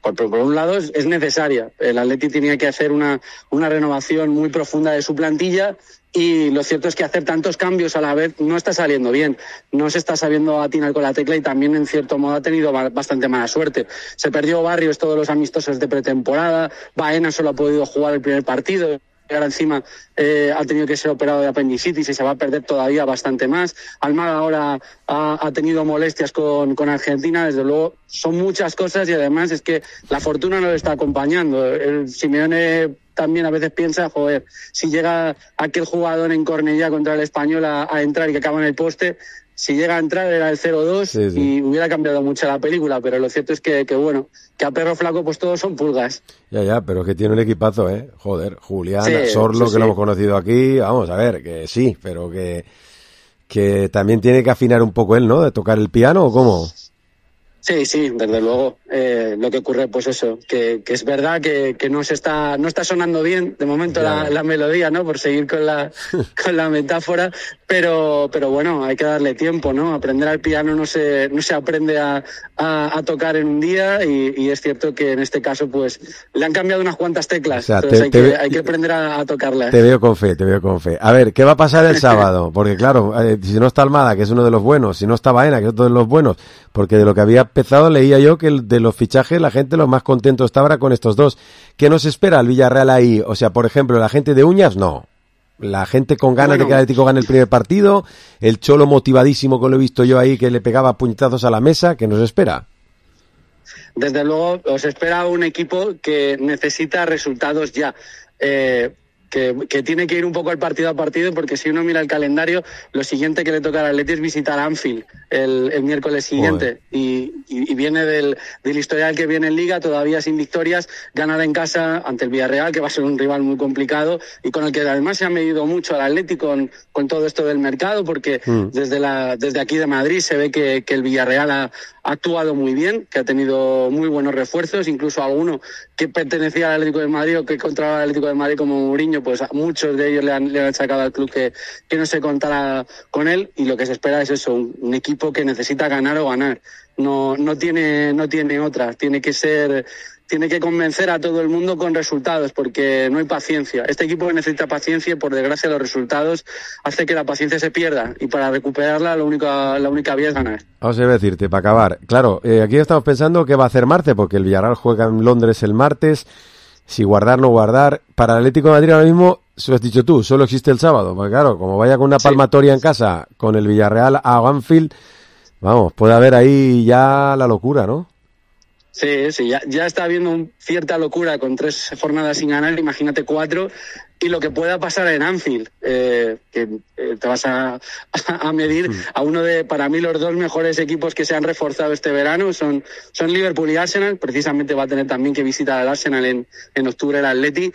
Speaker 18: por un lado es necesaria. El Atleti tenía que hacer una renovación muy profunda de su plantilla, y lo cierto es que hacer tantos cambios a la vez no está saliendo bien, no se está sabiendo atinar con la tecla, y también en cierto modo ha tenido bastante mala suerte. Se perdió Barrios todos los amistosos de pretemporada, Baena solo ha podido jugar el primer partido, ahora encima ha tenido que ser operado de apendicitis y se va a perder todavía bastante más. Almada ahora ha tenido molestias con Argentina. Desde luego son muchas cosas, y además es que la fortuna no le está acompañando. El Simeone también a veces piensa, joder, si llega aquel jugador en Cornellá contra el Español a entrar y que acaba en el poste, si llega a entrar era el 0-2 y hubiera cambiado mucho la película, pero lo cierto es que bueno, que a perro flaco pues todos son pulgas.
Speaker 4: Ya, pero que tiene un equipazo, joder, Julián, Sorlo, que lo hemos conocido aquí, vamos a ver, que sí, pero que también tiene que afinar un poco él, ¿no?, de tocar el piano, ¿o cómo?
Speaker 18: Sí, desde luego. Lo que ocurre, pues eso, que es verdad que no está sonando bien de momento la melodía, ¿no? Por seguir con la metáfora, pero bueno, hay que darle tiempo, ¿no? Aprender al piano no se aprende a tocar en un día, y es cierto que en este caso pues le han cambiado unas cuantas teclas, o sea, hay que aprender a tocarlas.
Speaker 4: Te veo con fe. A ver, ¿qué va a pasar el sábado? Porque claro, si no está Almada, que es uno de los buenos, si no está Baena, que es otro de los buenos, porque de lo que había empezado leía yo que de los fichajes la gente lo más contento está ahora con estos dos. ¿Qué nos espera el Villarreal ahí? O sea, por ejemplo, la gente de uñas, no. La gente con ganas de que el Atlético gane el primer partido, el Cholo motivadísimo, que lo he visto yo ahí, que le pegaba puñetazos a la mesa. ¿Qué nos espera?
Speaker 18: Desde luego, os espera un equipo que necesita resultados ya. Que tiene que ir un poco al partido a partido, porque si uno mira el calendario, lo siguiente que le toca al Atleti es visitar Anfield el miércoles siguiente, y viene del historial que viene en Liga, todavía sin victorias, ganar en casa ante el Villarreal, que va a ser un rival muy complicado y con el que además se ha medido mucho al Atleti con todo esto del mercado, porque desde aquí de Madrid se ve que el Villarreal ha actuado muy bien, que ha tenido muy buenos refuerzos, incluso alguno que pertenecía al Atlético de Madrid o que controlaba el Atlético de Madrid como Mourinho, pues a muchos de ellos le han sacado al club que no se contara con él, y lo que se espera es eso, un equipo que necesita ganar o ganar. No tiene otra, tiene que convencer a todo el mundo con resultados, porque no hay paciencia. Este equipo necesita paciencia, y por desgracia los resultados hacen que la paciencia se pierda, y para recuperarla la única vía es ganar.
Speaker 4: Vamos a decirte, para acabar, claro, aquí estamos pensando qué va a hacer Marte, porque el Villarreal juega en Londres el martes, si guardar, no guardar. Para el Atlético de Madrid ahora mismo, se lo has dicho tú, solo existe el sábado, porque claro, como vaya con una palmatoria en casa, con el Villarreal a Anfield, vamos, puede haber ahí ya la locura, ¿no?
Speaker 18: Sí, ya está habiendo cierta locura con 3 jornadas sin ganar, imagínate 4, y lo que pueda pasar en Anfield, que te vas a medir a uno de, para mí, los 2 mejores equipos que se han reforzado este verano, son Liverpool y Arsenal. Precisamente va a tener también que visitar al Arsenal en octubre el Atleti.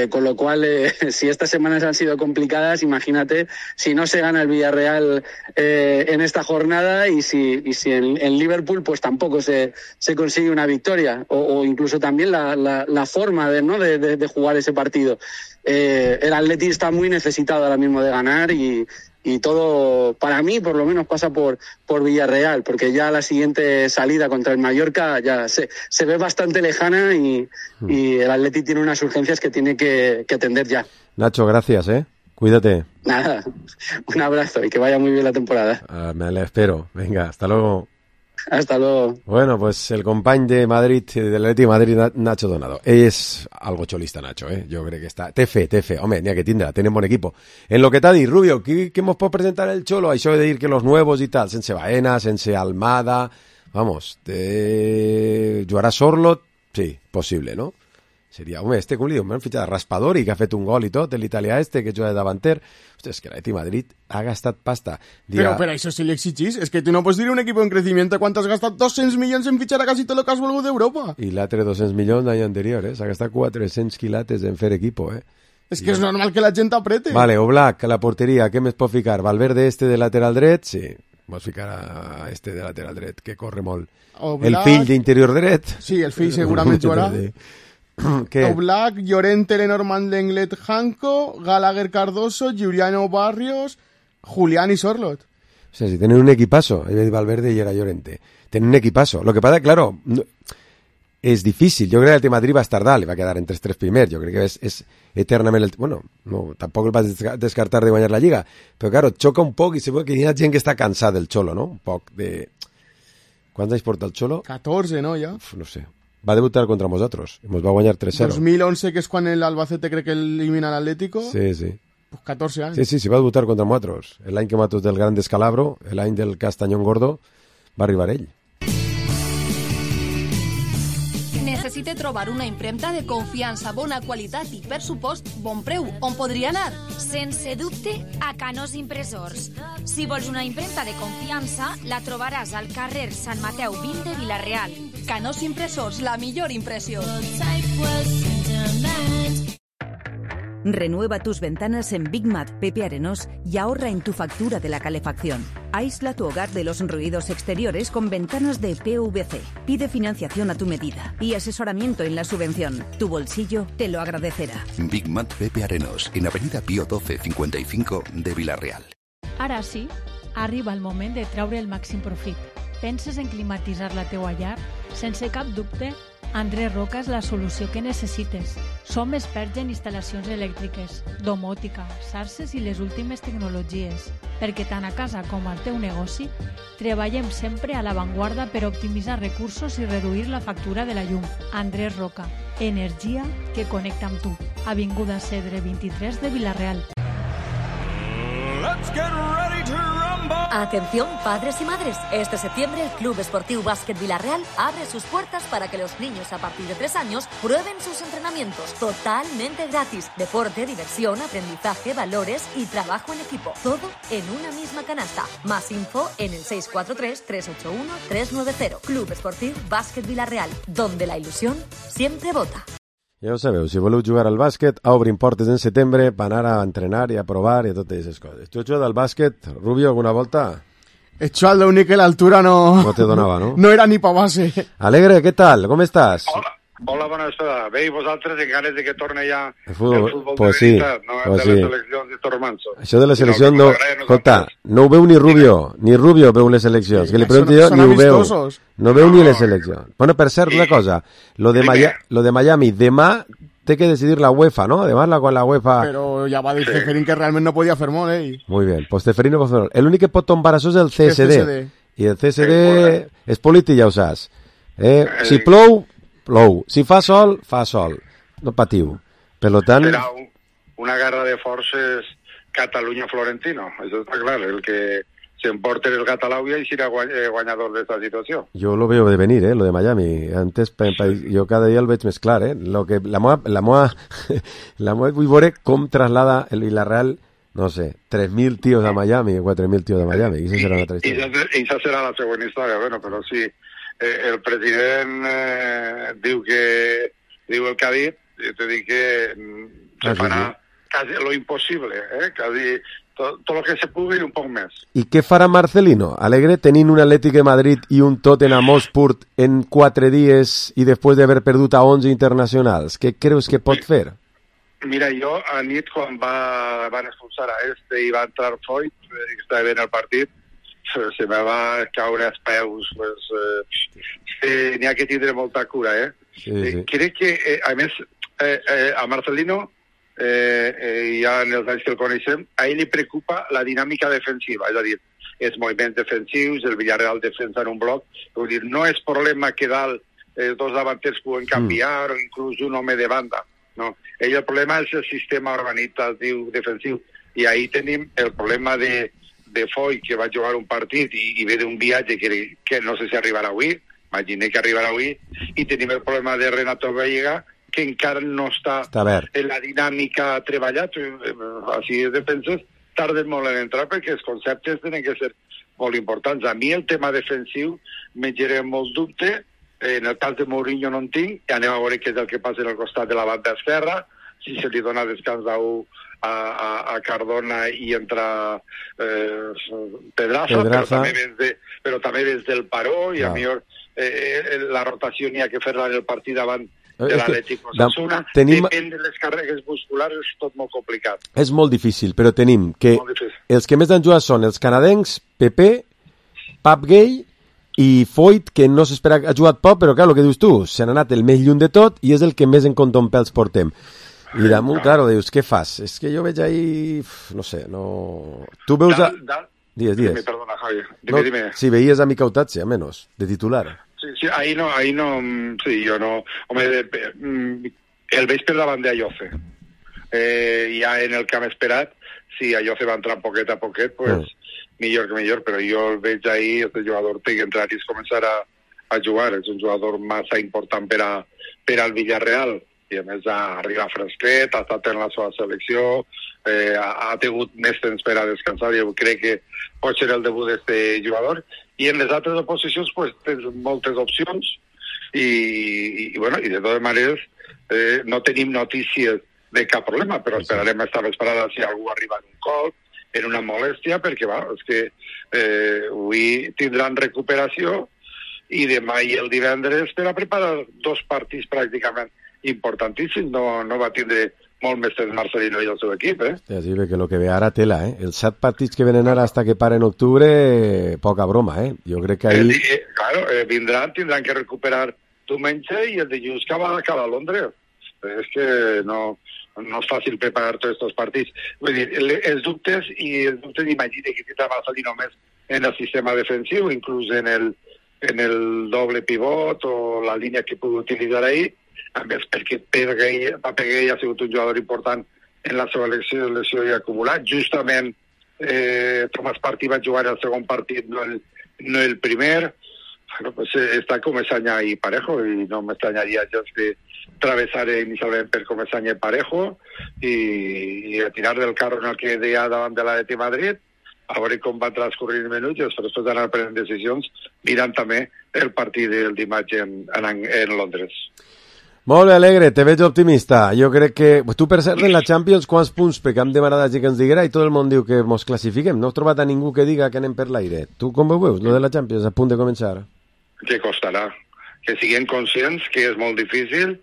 Speaker 18: Con lo cual, si estas semanas han sido complicadas, imagínate si no se gana el Villarreal en esta jornada, y si en Liverpool pues tampoco se consigue una victoria, o incluso también la forma de jugar ese partido. El Atleti está muy necesitado ahora mismo de ganar, y todo, para mí, por lo menos pasa por Villarreal, porque ya la siguiente salida contra el Mallorca ya se ve bastante lejana, y el Atleti tiene unas urgencias que tiene que atender ya.
Speaker 4: Nacho, gracias, cuídate.
Speaker 18: Nada, un abrazo y que vaya muy bien la temporada.
Speaker 4: Me la espero. Venga, hasta luego.
Speaker 18: Hasta luego.
Speaker 4: Bueno, pues el company de Madrid, del Atleti de Madrid, Nacho Donado. És algo cholista, Nacho, Jo crec que està... Té fe. Home, n'hi ha que tindrà, tenen bon equipo. En lo que t'ha dit, Rubio, ¿qué mos pot presentar el Cholo? Això de dir que los nuevos y tal, sense Baena, sense Almada... Vamos, jugarà Sorlot? Sí, possible, no? Seria, home, com li diu, m'han fitxat Raspadori, que ha fet un gol i tot, l'italià que juga de davanter. Hòstia, és que l'Atleti Madrid ha gastat pasta.
Speaker 5: Pero eso sí le exigís. Es que tú no puedes dir un equipo en crecimiento cuánto has gastat 200 milions en fichar a casi todo lo que has volgut d'Europa.
Speaker 4: I l'altre 200 milions l'any anterior, s'ha gastat 400 quilates en fer equipo,
Speaker 5: Es que es normal que la gent aprete.
Speaker 4: Vale, Oblak, a la porteria, què més pot ficar? Valverde de lateral dret? Sí, vols ficar a de lateral dret, que corre molt.
Speaker 5: Oblak...
Speaker 4: El fill d'interior dret?
Speaker 5: Sí, el fill segurament jugarà. Oblak, Llorente, Lenormand, Lenglet, Janko, Gallagher, Cardoso, Giuliano Barrios, Julián y Sorlot.
Speaker 4: O sea, si tienen un equipazo, Valverde y era Llorente. Tienen un equipazo. Lo que pasa, claro, és difícil. Jo crec que el Madrid va estar dalt i va quedar entre els 3 primers. Jo crec que és eternament... Bueno, no, tampoc el vas descartar de guanyar la Lliga, però claro, xoca un poc i segur que hi ha gent que està cansada del Xolo, no? Un poc de... Quants anys porta el Xolo?
Speaker 5: 14, no, ja?
Speaker 4: No sé. Va debutar contra nosaltres. Ens va guanyar 3-0.
Speaker 5: 2011, que és quan l'Albacete crec que elimina l'Atlético.
Speaker 4: Sí.
Speaker 5: Pues 14 anys.
Speaker 4: Sí, va debutar contra nosaltres. L'any que matos del Gran Descalabro, l'any del Castañón Gordo, va arribar ell.
Speaker 14: Necessite trobar una impremta de confiança, bona qualitat i, per supost, bon preu. On podria anar?
Speaker 12: Sense dubte, a Canós Impressors. Si vols una impremta de confiança, la trobaràs al carrer Sant Mateu 20 de Vila-real.
Speaker 14: Canós Impressors, la millor impressió.
Speaker 19: Renueva tus ventanas en Big Mat Pepe Arenós y ahorra en tu factura de la calefacción. Aísla tu hogar de los ruidos exteriores con ventanas de PVC. Pide financiación a tu medida y asesoramiento en la subvención. Tu bolsillo te lo agradecerá.
Speaker 20: Big Mat Pepe Arenós, en Avenida Pío 12 55 de Vila-real.
Speaker 9: Ara sí, arriba el moment de treure el màxim profit. Penses en climatitzar la teua llar? Sense cap dubte, Andrés Roca és la solució que necessites. Som experts en instal·lacions elèctriques, domòtica, xarxes i les últimes tecnologies, perquè tant a casa com al teu negoci treballem sempre a l'avantguarda per optimitzar recursos i reduir la factura de la llum. Andrés Roca, energia que connecta amb tu. Avinguda Cedre 23 de Vila-real.
Speaker 21: Let's get ready to rumble.
Speaker 22: Atención, padres y madres. Este septiembre el Club Esportiu Básquet Vila-real abre sus puertas para que los niños a partir de 3 años prueben sus entrenamientos totalmente gratis. Deporte, diversión, aprendizaje, valores y trabajo en equipo. Todo en una misma canasta. Más info en el 643-381-390. Club Esportiu Básquet Vila-real, donde la ilusión siempre vota.
Speaker 4: Ja ho sabeu, si voleu jugar al bàsquet, obrin portes en setembre per anar a entrenar i a provar i a totes aquestes coses. Tu has jugat al bàsquet, Rubio, alguna volta?
Speaker 5: He hecho al únic que l'altura no
Speaker 4: te donava, no?
Speaker 5: No era ni pa base.
Speaker 4: Alegre, què tal? Com estàs?
Speaker 23: Hola, bona estada. Bé, i vosaltres en ganes de que torne ja el
Speaker 4: futbol
Speaker 23: pues
Speaker 4: de
Speaker 23: veritat, no el de les seleccions de Tormanso.
Speaker 4: Això de les seleccions, no, escolta, no ho veu ni Rubio veu les seleccions, que li pregunto jo, ni ho veu. No veu ni les seleccions. Bueno, per cert, una cosa, lo de Miami, demà té que decidir la UEFA, ¿no? Además, con la UEFA...
Speaker 5: Pero ya va a decir Ceferín que realment no podia fer molt, eh?
Speaker 4: Muy bien, pues Ceferín no pot fer molt. L'únic que pot tombar això és el CSD. I el CSD és polític, ja ho saps. Si plou, si fa sol, no patiu. Per tant...
Speaker 23: Serà una guerra de forces Catalunya-Florentino, això està clar, el que s'emporta el Catalunya i serà guanyador d'esta situació.
Speaker 4: Jo lo veo de venir, lo de Miami. Antes, jo cada dia el veig més clar, Lo que, la moa vull veure com traslada el Villarreal, no sé, 3.000 tios a Miami, 4.000 tios a Miami, i això serà una altra història.
Speaker 23: I això serà la següent història, bueno, però sí, el president diu el que ha dit, i te dic que se farà quasi lo impossible, quasi tot el que se pugui i un poc més.
Speaker 4: I què farà Marcelino? Alegre tenint un Atlètic de Madrid i un Tottenham Hotspur en 4 dies i després d'haver perdut a 11 internacionals? Què creus que pot fer?
Speaker 23: Mira, jo a nit quan van expulsar a i va entrar Foyt, que estava bé el partit, se me va caure als peus, n'hi ha que tindre molta cura,
Speaker 4: Sí.
Speaker 23: Crec que, a més, a Marcelino, ja en els anys que el coneixem, a ell li preocupa la dinàmica defensiva, és a dir, els moviments defensius, el Villarreal defensa en un bloc, vull dir, no és problema que dalt els dos davanters puguen canviar o inclús un home de banda, no. Ell el problema és el sistema organitzatiu defensiu, i ahí tenim el problema de Foy, que va jugar un partit i ve d'un viatge que no sé si arribarà avui, imaginem que arribarà avui, i tenim el problema de Renato Vallega, que encara no està en la dinàmica treballat, així de penses, tarden molt en entrar perquè els conceptes tenen que ser molt importants. A mi el tema defensiu me genera molt dubte, en el cas de Mourinho no en tinc, i anem a veure què és el que passa al costat de la banda esquerra, si se li dona descans a Cardona i entra Pedraza, però també des del paró, i a millor la rotació n'hi ha que fer-la en el partit davant de l'Atlètic Osasuna, depèn de les càrregues musculars, és tot molt complicat.
Speaker 4: És molt difícil, però tenim que els que més han jugat són els canadencs, Pepe, Pap Gay i Foyt, que no s'espera, ha jugat poc, però clar, el que dius tu, se n'ha anat el més lluny de tot i és el que més en contompels portem. I damunt, claro, dius, què fas? És que jo veig ahí, no sé, no... Tu veus... Digues.
Speaker 23: Perdona, Javi. Dime.
Speaker 4: Si veies a Mica Utazzi, a menos, de titular.
Speaker 23: Sí, ahí no, sí, jo no... Home, el veig per davant d'Ayoce. Ja en el que hem esperat, si Ayoce va entrar poquet a poquet, pues millor que millor, però jo el veig ahí, este jugador té que entrar i començar a jugar. És un jugador massa important per al Villarreal, i a més arriba fresquet, ha estat en la seva selecció, ha tingut més temps per a descansar, i crec que pot ser el debut d'aquest jugador. I en les altres oposicions pues, tens moltes opcions i de totes maneres no tenim notícies de cap problema, però esperarem estar vesprada si algú arriba en un colp, en una molèstia, perquè és que avui tindran recuperació i demà i el divendres per a preparar 2 partits pràcticament importantíssims. No va tindre molt més temps Marcelino i el seu equip,
Speaker 4: Sí, perquè el que ve ara tela, Els 7 partits que venen ara hasta que paren en octubre, poca broma, Jo crec que ahí...
Speaker 23: Claro, tindran que recuperar diumenge i el dilluns acaba a Londres. És que no és fàcil preparar tots aquests partits. Vull dir, els dubtes imagina que tindrà Marcelino només en el sistema defensiu, inclús en el doble pivot o la línia que pugui utilitzar ahí, a més perquè Peguei ha sigut un jugador important en la seva selecció i acumulat. Justament Tomàs Partí va jugar el segon partit, no el primer. Pues està començant ahí parejo i no m'estranyaria gens que travessaré inicialment per començar parejo i a tirar del carro en el que deia davant de l'Atlètic Madrid, a veure com van transcorrir els minuts i després d'anar prenent decisions mirant també el partit del dimarts en Londres.
Speaker 4: Molt bé, Alegre, te veig optimista. Jo crec que... Tu, per cert, en la Champions, quants punts? Perquè hem demanat a que ens diguera i tot el món diu que mos classifiquem. No he trobat a ningú que diga que anem per l'aire. Tu com ho veus, lo de la Champions, a punt de començar?
Speaker 23: Que costarà. Que siguem conscients que és molt difícil,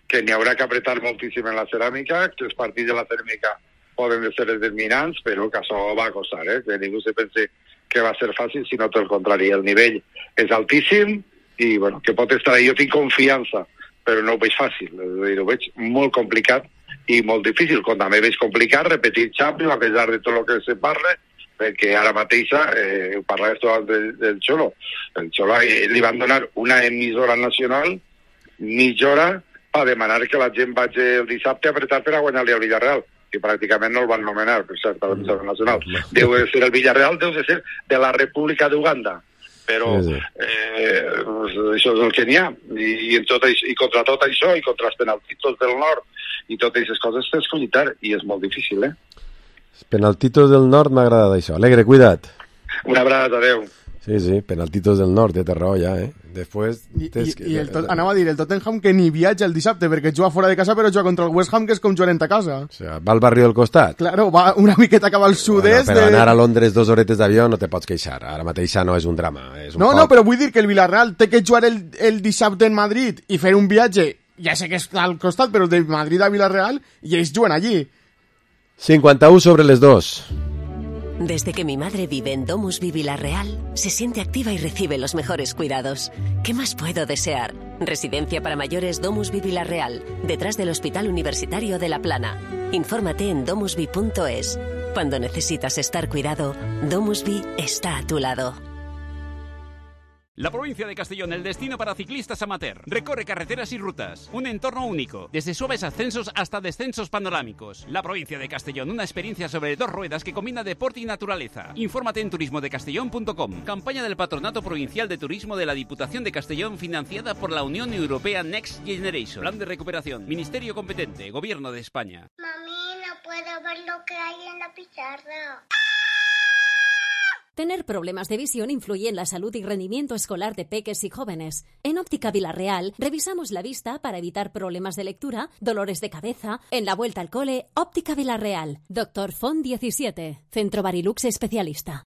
Speaker 23: que n'hi haurà que apretar moltíssim en la ceràmica, que els partits de la ceràmica poden ser determinants, però que això va costar, que ningú se pense que va ser fàcil, sinó tot el contrari. El nivell és altíssim i bueno, que pot estar ahí. Jo tinc confiança, però no ho veig fàcil, ho veig molt complicat i molt difícil, com també veig complicat repetir Champions a pesar de tot el que se parla, perquè ara mateixa, ho parlaves del Xolo, el Xolo li van donar una emissora nacional mitja hora per demanar que la gent vagi el dissabte a apretar per a guanyar-li al Villarreal, que pràcticament no el van nomenar, per cert, a l'emissora nacional. Deu de ser el Villarreal, deu de ser de la República d'Uganda, però això és el que n'hi ha, i contra tot això, i contra els penaltitos del nord, i totes aquestes coses tens que lluitar, i és molt difícil,
Speaker 4: Penaltitos del nord m'ha agradat això. Alegre, cuida't.
Speaker 23: Una abraçada, adeu.
Speaker 4: Sí, penaltitos del nord, té raó ja, Després...
Speaker 5: Anava a dir, el Tottenham que ni viatja el dissabte, perquè juga fora de casa, però juga contra el West Ham, que és com jugant a casa.
Speaker 4: O sigui, va al barri del costat.
Speaker 5: Claro, va una miqueta cap al sud-est.
Speaker 4: Però anar a Londres 2 horetes d'avió no te pots queixar. Ara mateix no és un drama.
Speaker 5: No, però vull dir que el Villarreal té que jugar el dissabte en Madrid i fer un viatge, ja sé que està al costat, però de Madrid a Villarreal, i ells juguen allí.
Speaker 4: 51 sobre les 2.
Speaker 1: Desde que mi madre vive en Domusvi Villarreal, se siente activa y recibe los mejores cuidados. ¿Qué más puedo desear? Residencia para mayores Domusvi Villarreal, detrás del Hospital Universitario de La Plana. Infórmate en domusvi.es. Cuando necesitas estar cuidado, Domusvi está a tu lado.
Speaker 2: La provincia de Castellón, el destino para ciclistas amateur. Recorre carreteras y rutas. Un entorno único, desde suaves ascensos hasta descensos panorámicos. La provincia de Castellón, una experiencia sobre 2 ruedas que combina deporte y naturaleza. Infórmate en turismodecastellón.com. Campaña del Patronato Provincial de Turismo de la Diputación de Castellón, financiada por la Unión Europea Next Generation. Plan de recuperación. Ministerio competente. Gobierno de España.
Speaker 6: Mami, no puedo ver lo que hay en la pizarra.
Speaker 3: Tener problemas de visión influye en la salud y rendimiento escolar de peques y jóvenes. En Óptica Villarreal revisamos la vista para evitar problemas de lectura, dolores de cabeza. En la vuelta al cole, Óptica Villarreal. Dr. Font 17, Centro Barilux especialista.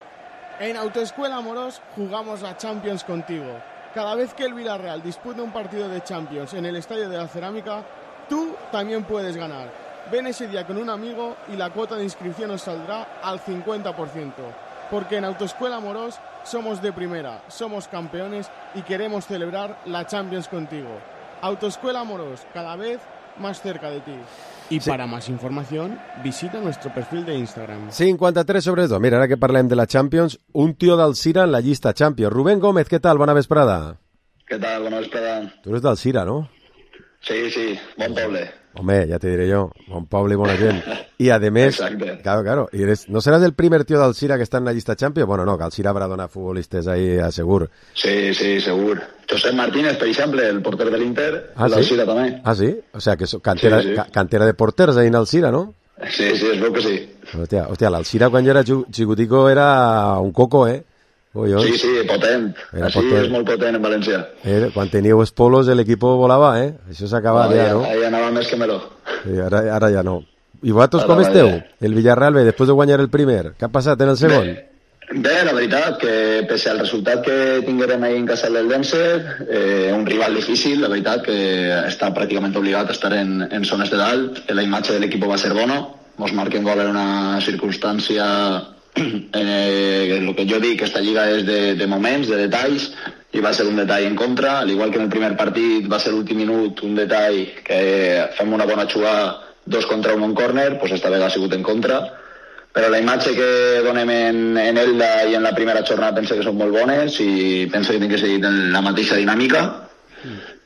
Speaker 5: En Autoescuela Amorós jugamos la Champions contigo. Cada vez que el Villarreal dispute un partido de Champions en el Estadio de la Cerámica, tú también puedes ganar. Ven ese día con un amigo y la cuota de inscripción os saldrá al 50%. Porque en Autoescuela Amorós somos de primera, somos campeones y queremos celebrar la Champions contigo. Autoescuela Moros, cada vez más cerca de ti. Y para más información, visita nuestro perfil de Instagram.
Speaker 4: 53/2. Mira, ara que parlem de la Champions, un tio d'Alzira en la llista Champions. Rubén Gómez, què tal? Bona vesprada.
Speaker 7: Què tal? Bona vesprada.
Speaker 4: Tu eres d'Alzira, no?
Speaker 7: Sí, bon poble.
Speaker 4: Hombre, ya te diré yo, bon poble y buena gent. Y además, claro, y no serás el primer tío d'Alzira que está en la llista Champions? Bueno, no, que Alzira habrá donat futbolistes ahí, segur.
Speaker 7: Sí, segur. Josep Martínez, per exemple, el porter de l'Inter, l'Alzira també.
Speaker 4: Ah, sí? O sea, que cantera de porters ahí en Alzira, ¿no?
Speaker 7: Sí, es veu que sí.
Speaker 4: Hòstia, l'Alzira quan jo era xicutico era un coco, ¿eh?
Speaker 7: Sí, potent. Així és molt potent en València.
Speaker 4: Quan teníeu els polos l'equip volava, Això s'ha acabat ja, no?
Speaker 7: Ahí anava més que meló.
Speaker 4: Sí, ara ja no. I vosaltres com esteu? El Villarreal B, després de guanyar el primer. Què ha passat en el segon?
Speaker 7: Bé, la veritat, que pese al resultat que tinguérem ahir en casa del Denser, un rival difícil, la veritat, que està pràcticament obligat a estar en zones de dalt. La imatge de l'equip va ser bona. Mos marquen gol en una circumstància... el que jo dic, esta lliga és de moments, de detalls, i va ser un detall en contra, al igual que en el primer partit va ser l'últim minut un detall que fem una bona jugada 2 contra 1 en córner, doncs esta vegada ha sigut en contra, però la imatge que donem en Elda i en la primera jornada penso que són molt bones i penso que hem que seguir en la mateixa dinàmica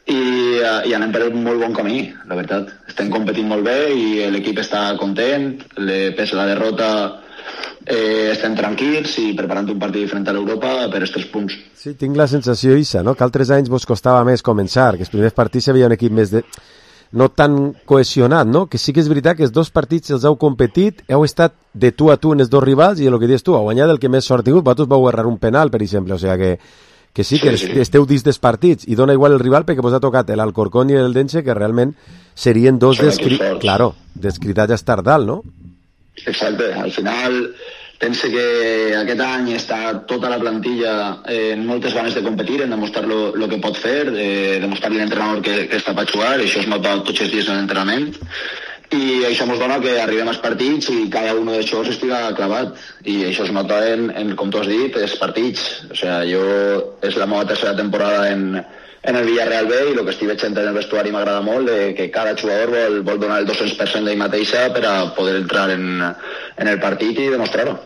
Speaker 7: i anem per un molt bon camí, la veritat. Estem competint molt bé i l'equip està content, pese a la derrota estem tranquils i preparant un partit diferent a l'Europa per els 3 punts.
Speaker 4: Sí, tinc la sensació, Isa, no? Que altres anys vos costava més començar, que els primers partits hi havia un equip més no tan cohesionat, no? Que sí que és veritat que els 2 partits els heu competit, heu estat de tu a tu en els 2 rivals i el que dius tu, heu guanyat el que més sort tingut, vosaltres vau errar un penal, per exemple, o sigui que sí que esteu dins dels partits i dona igual el rival perquè vos ha tocat l'Alcorcón i el Dense, que realment serien 2 descritats a estar dalt, no?
Speaker 7: Exacte, al final pense que aquest any està tota la plantilla en moltes ganes de competir, en demostrar el que pot fer, demostrar l'entrenador que està per jugar, això es nota tots els dies en l'entrenament i això ens dona que arribem als partits i cada un d'aixòs estiga clavat i això es nota com tu has dit, els partits. O sigui, és la meva tercera temporada en el Villarreal B i el que estic veient en el vestuari m'agrada molt, que cada jugador vol donar el 200% d'ell mateixa per a poder entrar en el partit i demostrar-ho.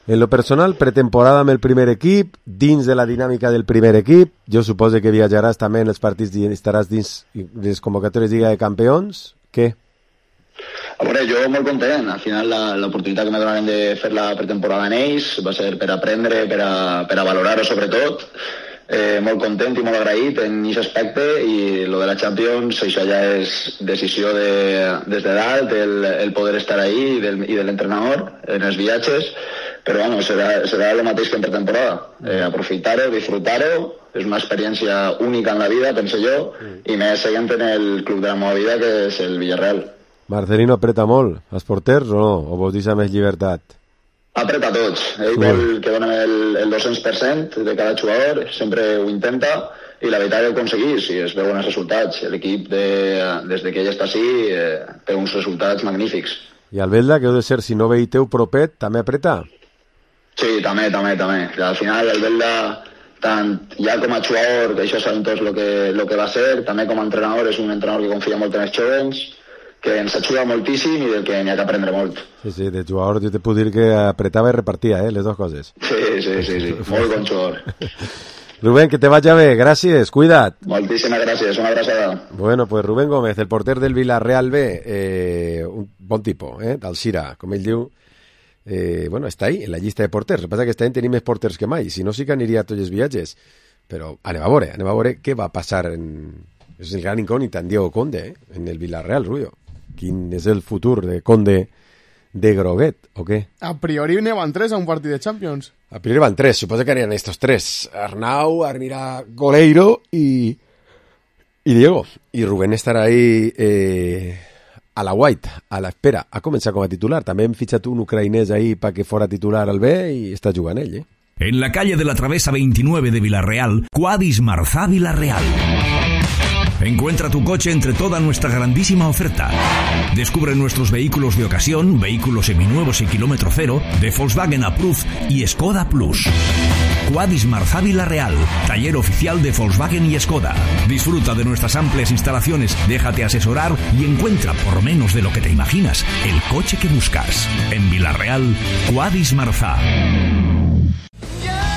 Speaker 4: En lo personal, pretemporada amb el primer equip, dins de la dinàmica del primer equip, jo suposo que viatjaràs també en els partits i estaràs dins les convocatòries de Lliga de Campions. Què?
Speaker 7: A veure, jo molt content. Al final l'oportunitat que me donaren de fer la pretemporada en ells va ser per aprendre, per a valorar-ho sobretot. Molt content i molt agraït en aquest aspecte i lo de la Champions, això ja és decisió des de dalt, el poder estar ahí i de l'entrenador en els viatges, però bueno, serà el mateix que en pretemporada, aprofitar-ho, disfrutar-ho, és una experiència única en la vida, penso jo, i més seguint en el club de la meva vida, que és el Villarreal.
Speaker 4: Marcelino apreta molt, els porters o no? O vos deixa més llibertat?
Speaker 7: Apreta tots, ell vol que donem el 200% de cada jugador, sempre ho intenta i la veritat ho aconseguís i es veuen els resultats. L'equip des que ell està així té uns resultats magnífics.
Speaker 4: I el Belda, que heu de ser, si no veiteu propet, també apreta?
Speaker 7: Sí, també. Al final el Belda, tant ja com a jugador, que això sabem tots el que va ser, també com a entrenador és un entrenador que confia molt en els jovens, que ens ajuda moltíssim i del que n'hi ha que aprendre molt.
Speaker 4: Sí, de jugador jo te puc dir que apretava i repartia, les dues coses.
Speaker 7: Sí, molt bon jugador.
Speaker 4: Rubén, que te vaya bé, gràcies, cuida't.
Speaker 7: Moltíssimes gràcies, una abraçada.
Speaker 4: Bueno, pues Rubén Gómez, el porter del Villarreal B, un bon tipus, d'Alzira, com ell diu, bueno, està ahí, en la llista de porters. El que passa que aquest any tenim més porters que mai, si no sí que aniria a tots els viatges. Però anem a veure què va passar és el gran incògnit en Diego Conde, en el Villarreal, Rullo. Quin és el futur de Conde de Groguet, o què?
Speaker 5: A priori ne van 3 a un partit de Champions.
Speaker 4: A priori van 3, suposo que aniran estos 3. Arnau, anirà Goleiro y Diego. Y Rubén estarà ahí a la white, a la espera. Ha començat com a titular. També hem fitxat un ucraïnès ahí para que fora titular al B y està jugant ell,
Speaker 8: En la calle de la Travesa 29 de Villarreal, Quadis Marzá Villarreal. Encuentra tu coche entre toda nuestra grandísima oferta. Descubre nuestros vehículos de ocasión, vehículos seminuevos y kilómetro cero, de Volkswagen Approved y Skoda Plus. Quadis Marzá Vila-real, taller oficial de Volkswagen y Skoda. Disfruta de nuestras amplias instalaciones, déjate asesorar y encuentra, por menos de lo que te imaginas, el coche que buscas. En Vila-real, Quadis Marzá.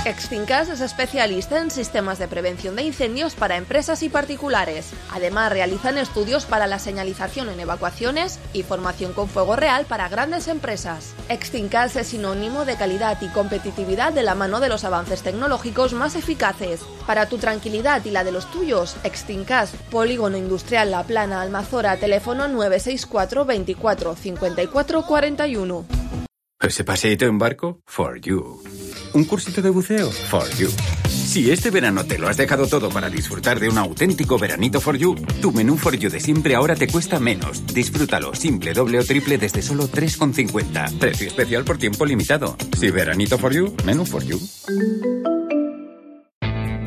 Speaker 15: Extincas es especialista en sistemas de prevención de incendios para empresas y particulares. Además, realizan estudios para la señalización en evacuaciones y formación con fuego real para grandes empresas. Extincas es sinónimo de calidad y competitividad de la mano de los avances tecnológicos más eficaces. Para tu tranquilidad y la de los tuyos, Extincas, Polígono Industrial La Plana, Almazora, teléfono 964 24 54 41.
Speaker 10: ¿Ese paseíto en barco? For you. ¿Un cursito de buceo? For you. Si este verano te lo has dejado todo para disfrutar de un auténtico veranito for you, tu menú for you de siempre ahora te cuesta menos. Disfrútalo simple, doble o triple desde solo 3,50. Precio especial por tiempo limitado. Si veranito for you, menú for you.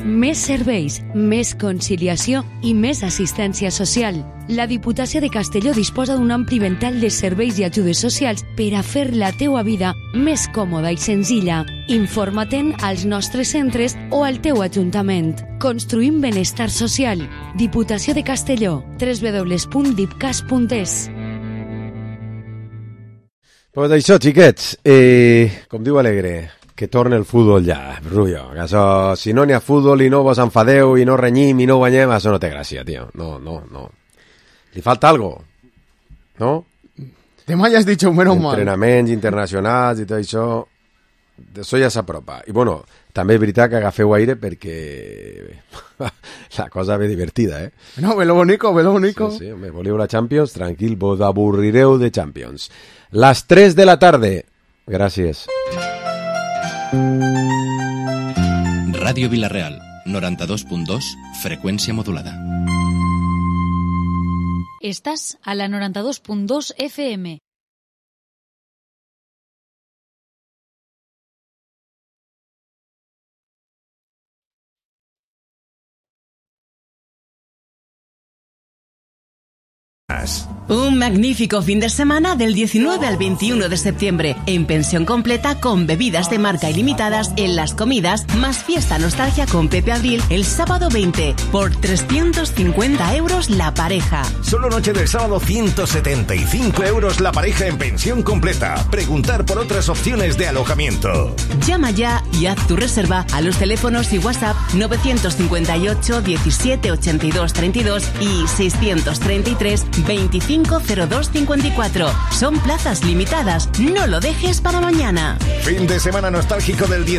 Speaker 11: Més serveis, més conciliació i més assistència social. La Diputació de Castelló disposa d'un ampli ventall de serveis i ajudes socials per a fer la teua vida més còmoda i senzilla. Informa-te'n als nostres centres o al teu ajuntament. Construïm benestar social. Diputació de Castelló. www.dipcas.es.
Speaker 4: Pues això, xiquets, com diu Alegre, que torna el futbol ja, Rullo. Això, si no n'hi ha futbol i no vos enfadeu i no renyim i no guanyem, això no té gràcia, tio. No. Li falta algo, no?
Speaker 5: Te m'has dit menos mal.
Speaker 4: Entrenaments internacionals i tot això, d'això ja s'apropa. I bueno, també és veritat que agafeu aire perquè la cosa ve divertida, eh?
Speaker 5: No, ve lo bonico.
Speaker 4: Sí, me voleu la Champions, tranquil, vos avorrireu de Champions. Las 3 de la tarde. Gràcies.
Speaker 13: Ràdio Vila-real, 92.2, freqüència modulada.
Speaker 9: Estàs a la 92.2 FM.
Speaker 24: Un magnífico fin de semana del 19 al 21 de septiembre en pensión completa con bebidas de marca ilimitadas en las comidas, más fiesta nostalgia con Pepe Abril el sábado 20 por 350 euros la pareja.
Speaker 25: Solo noche del sábado 175 euros la pareja en pensión completa. Preguntar por otras opciones de alojamiento.
Speaker 24: Llama ya y haz tu reserva a los teléfonos y WhatsApp 958 17 82 32 y 633 25 02 54. Son plazas limitadas, no lo dejes para mañana.
Speaker 25: Fin de semana nostálgico del 10.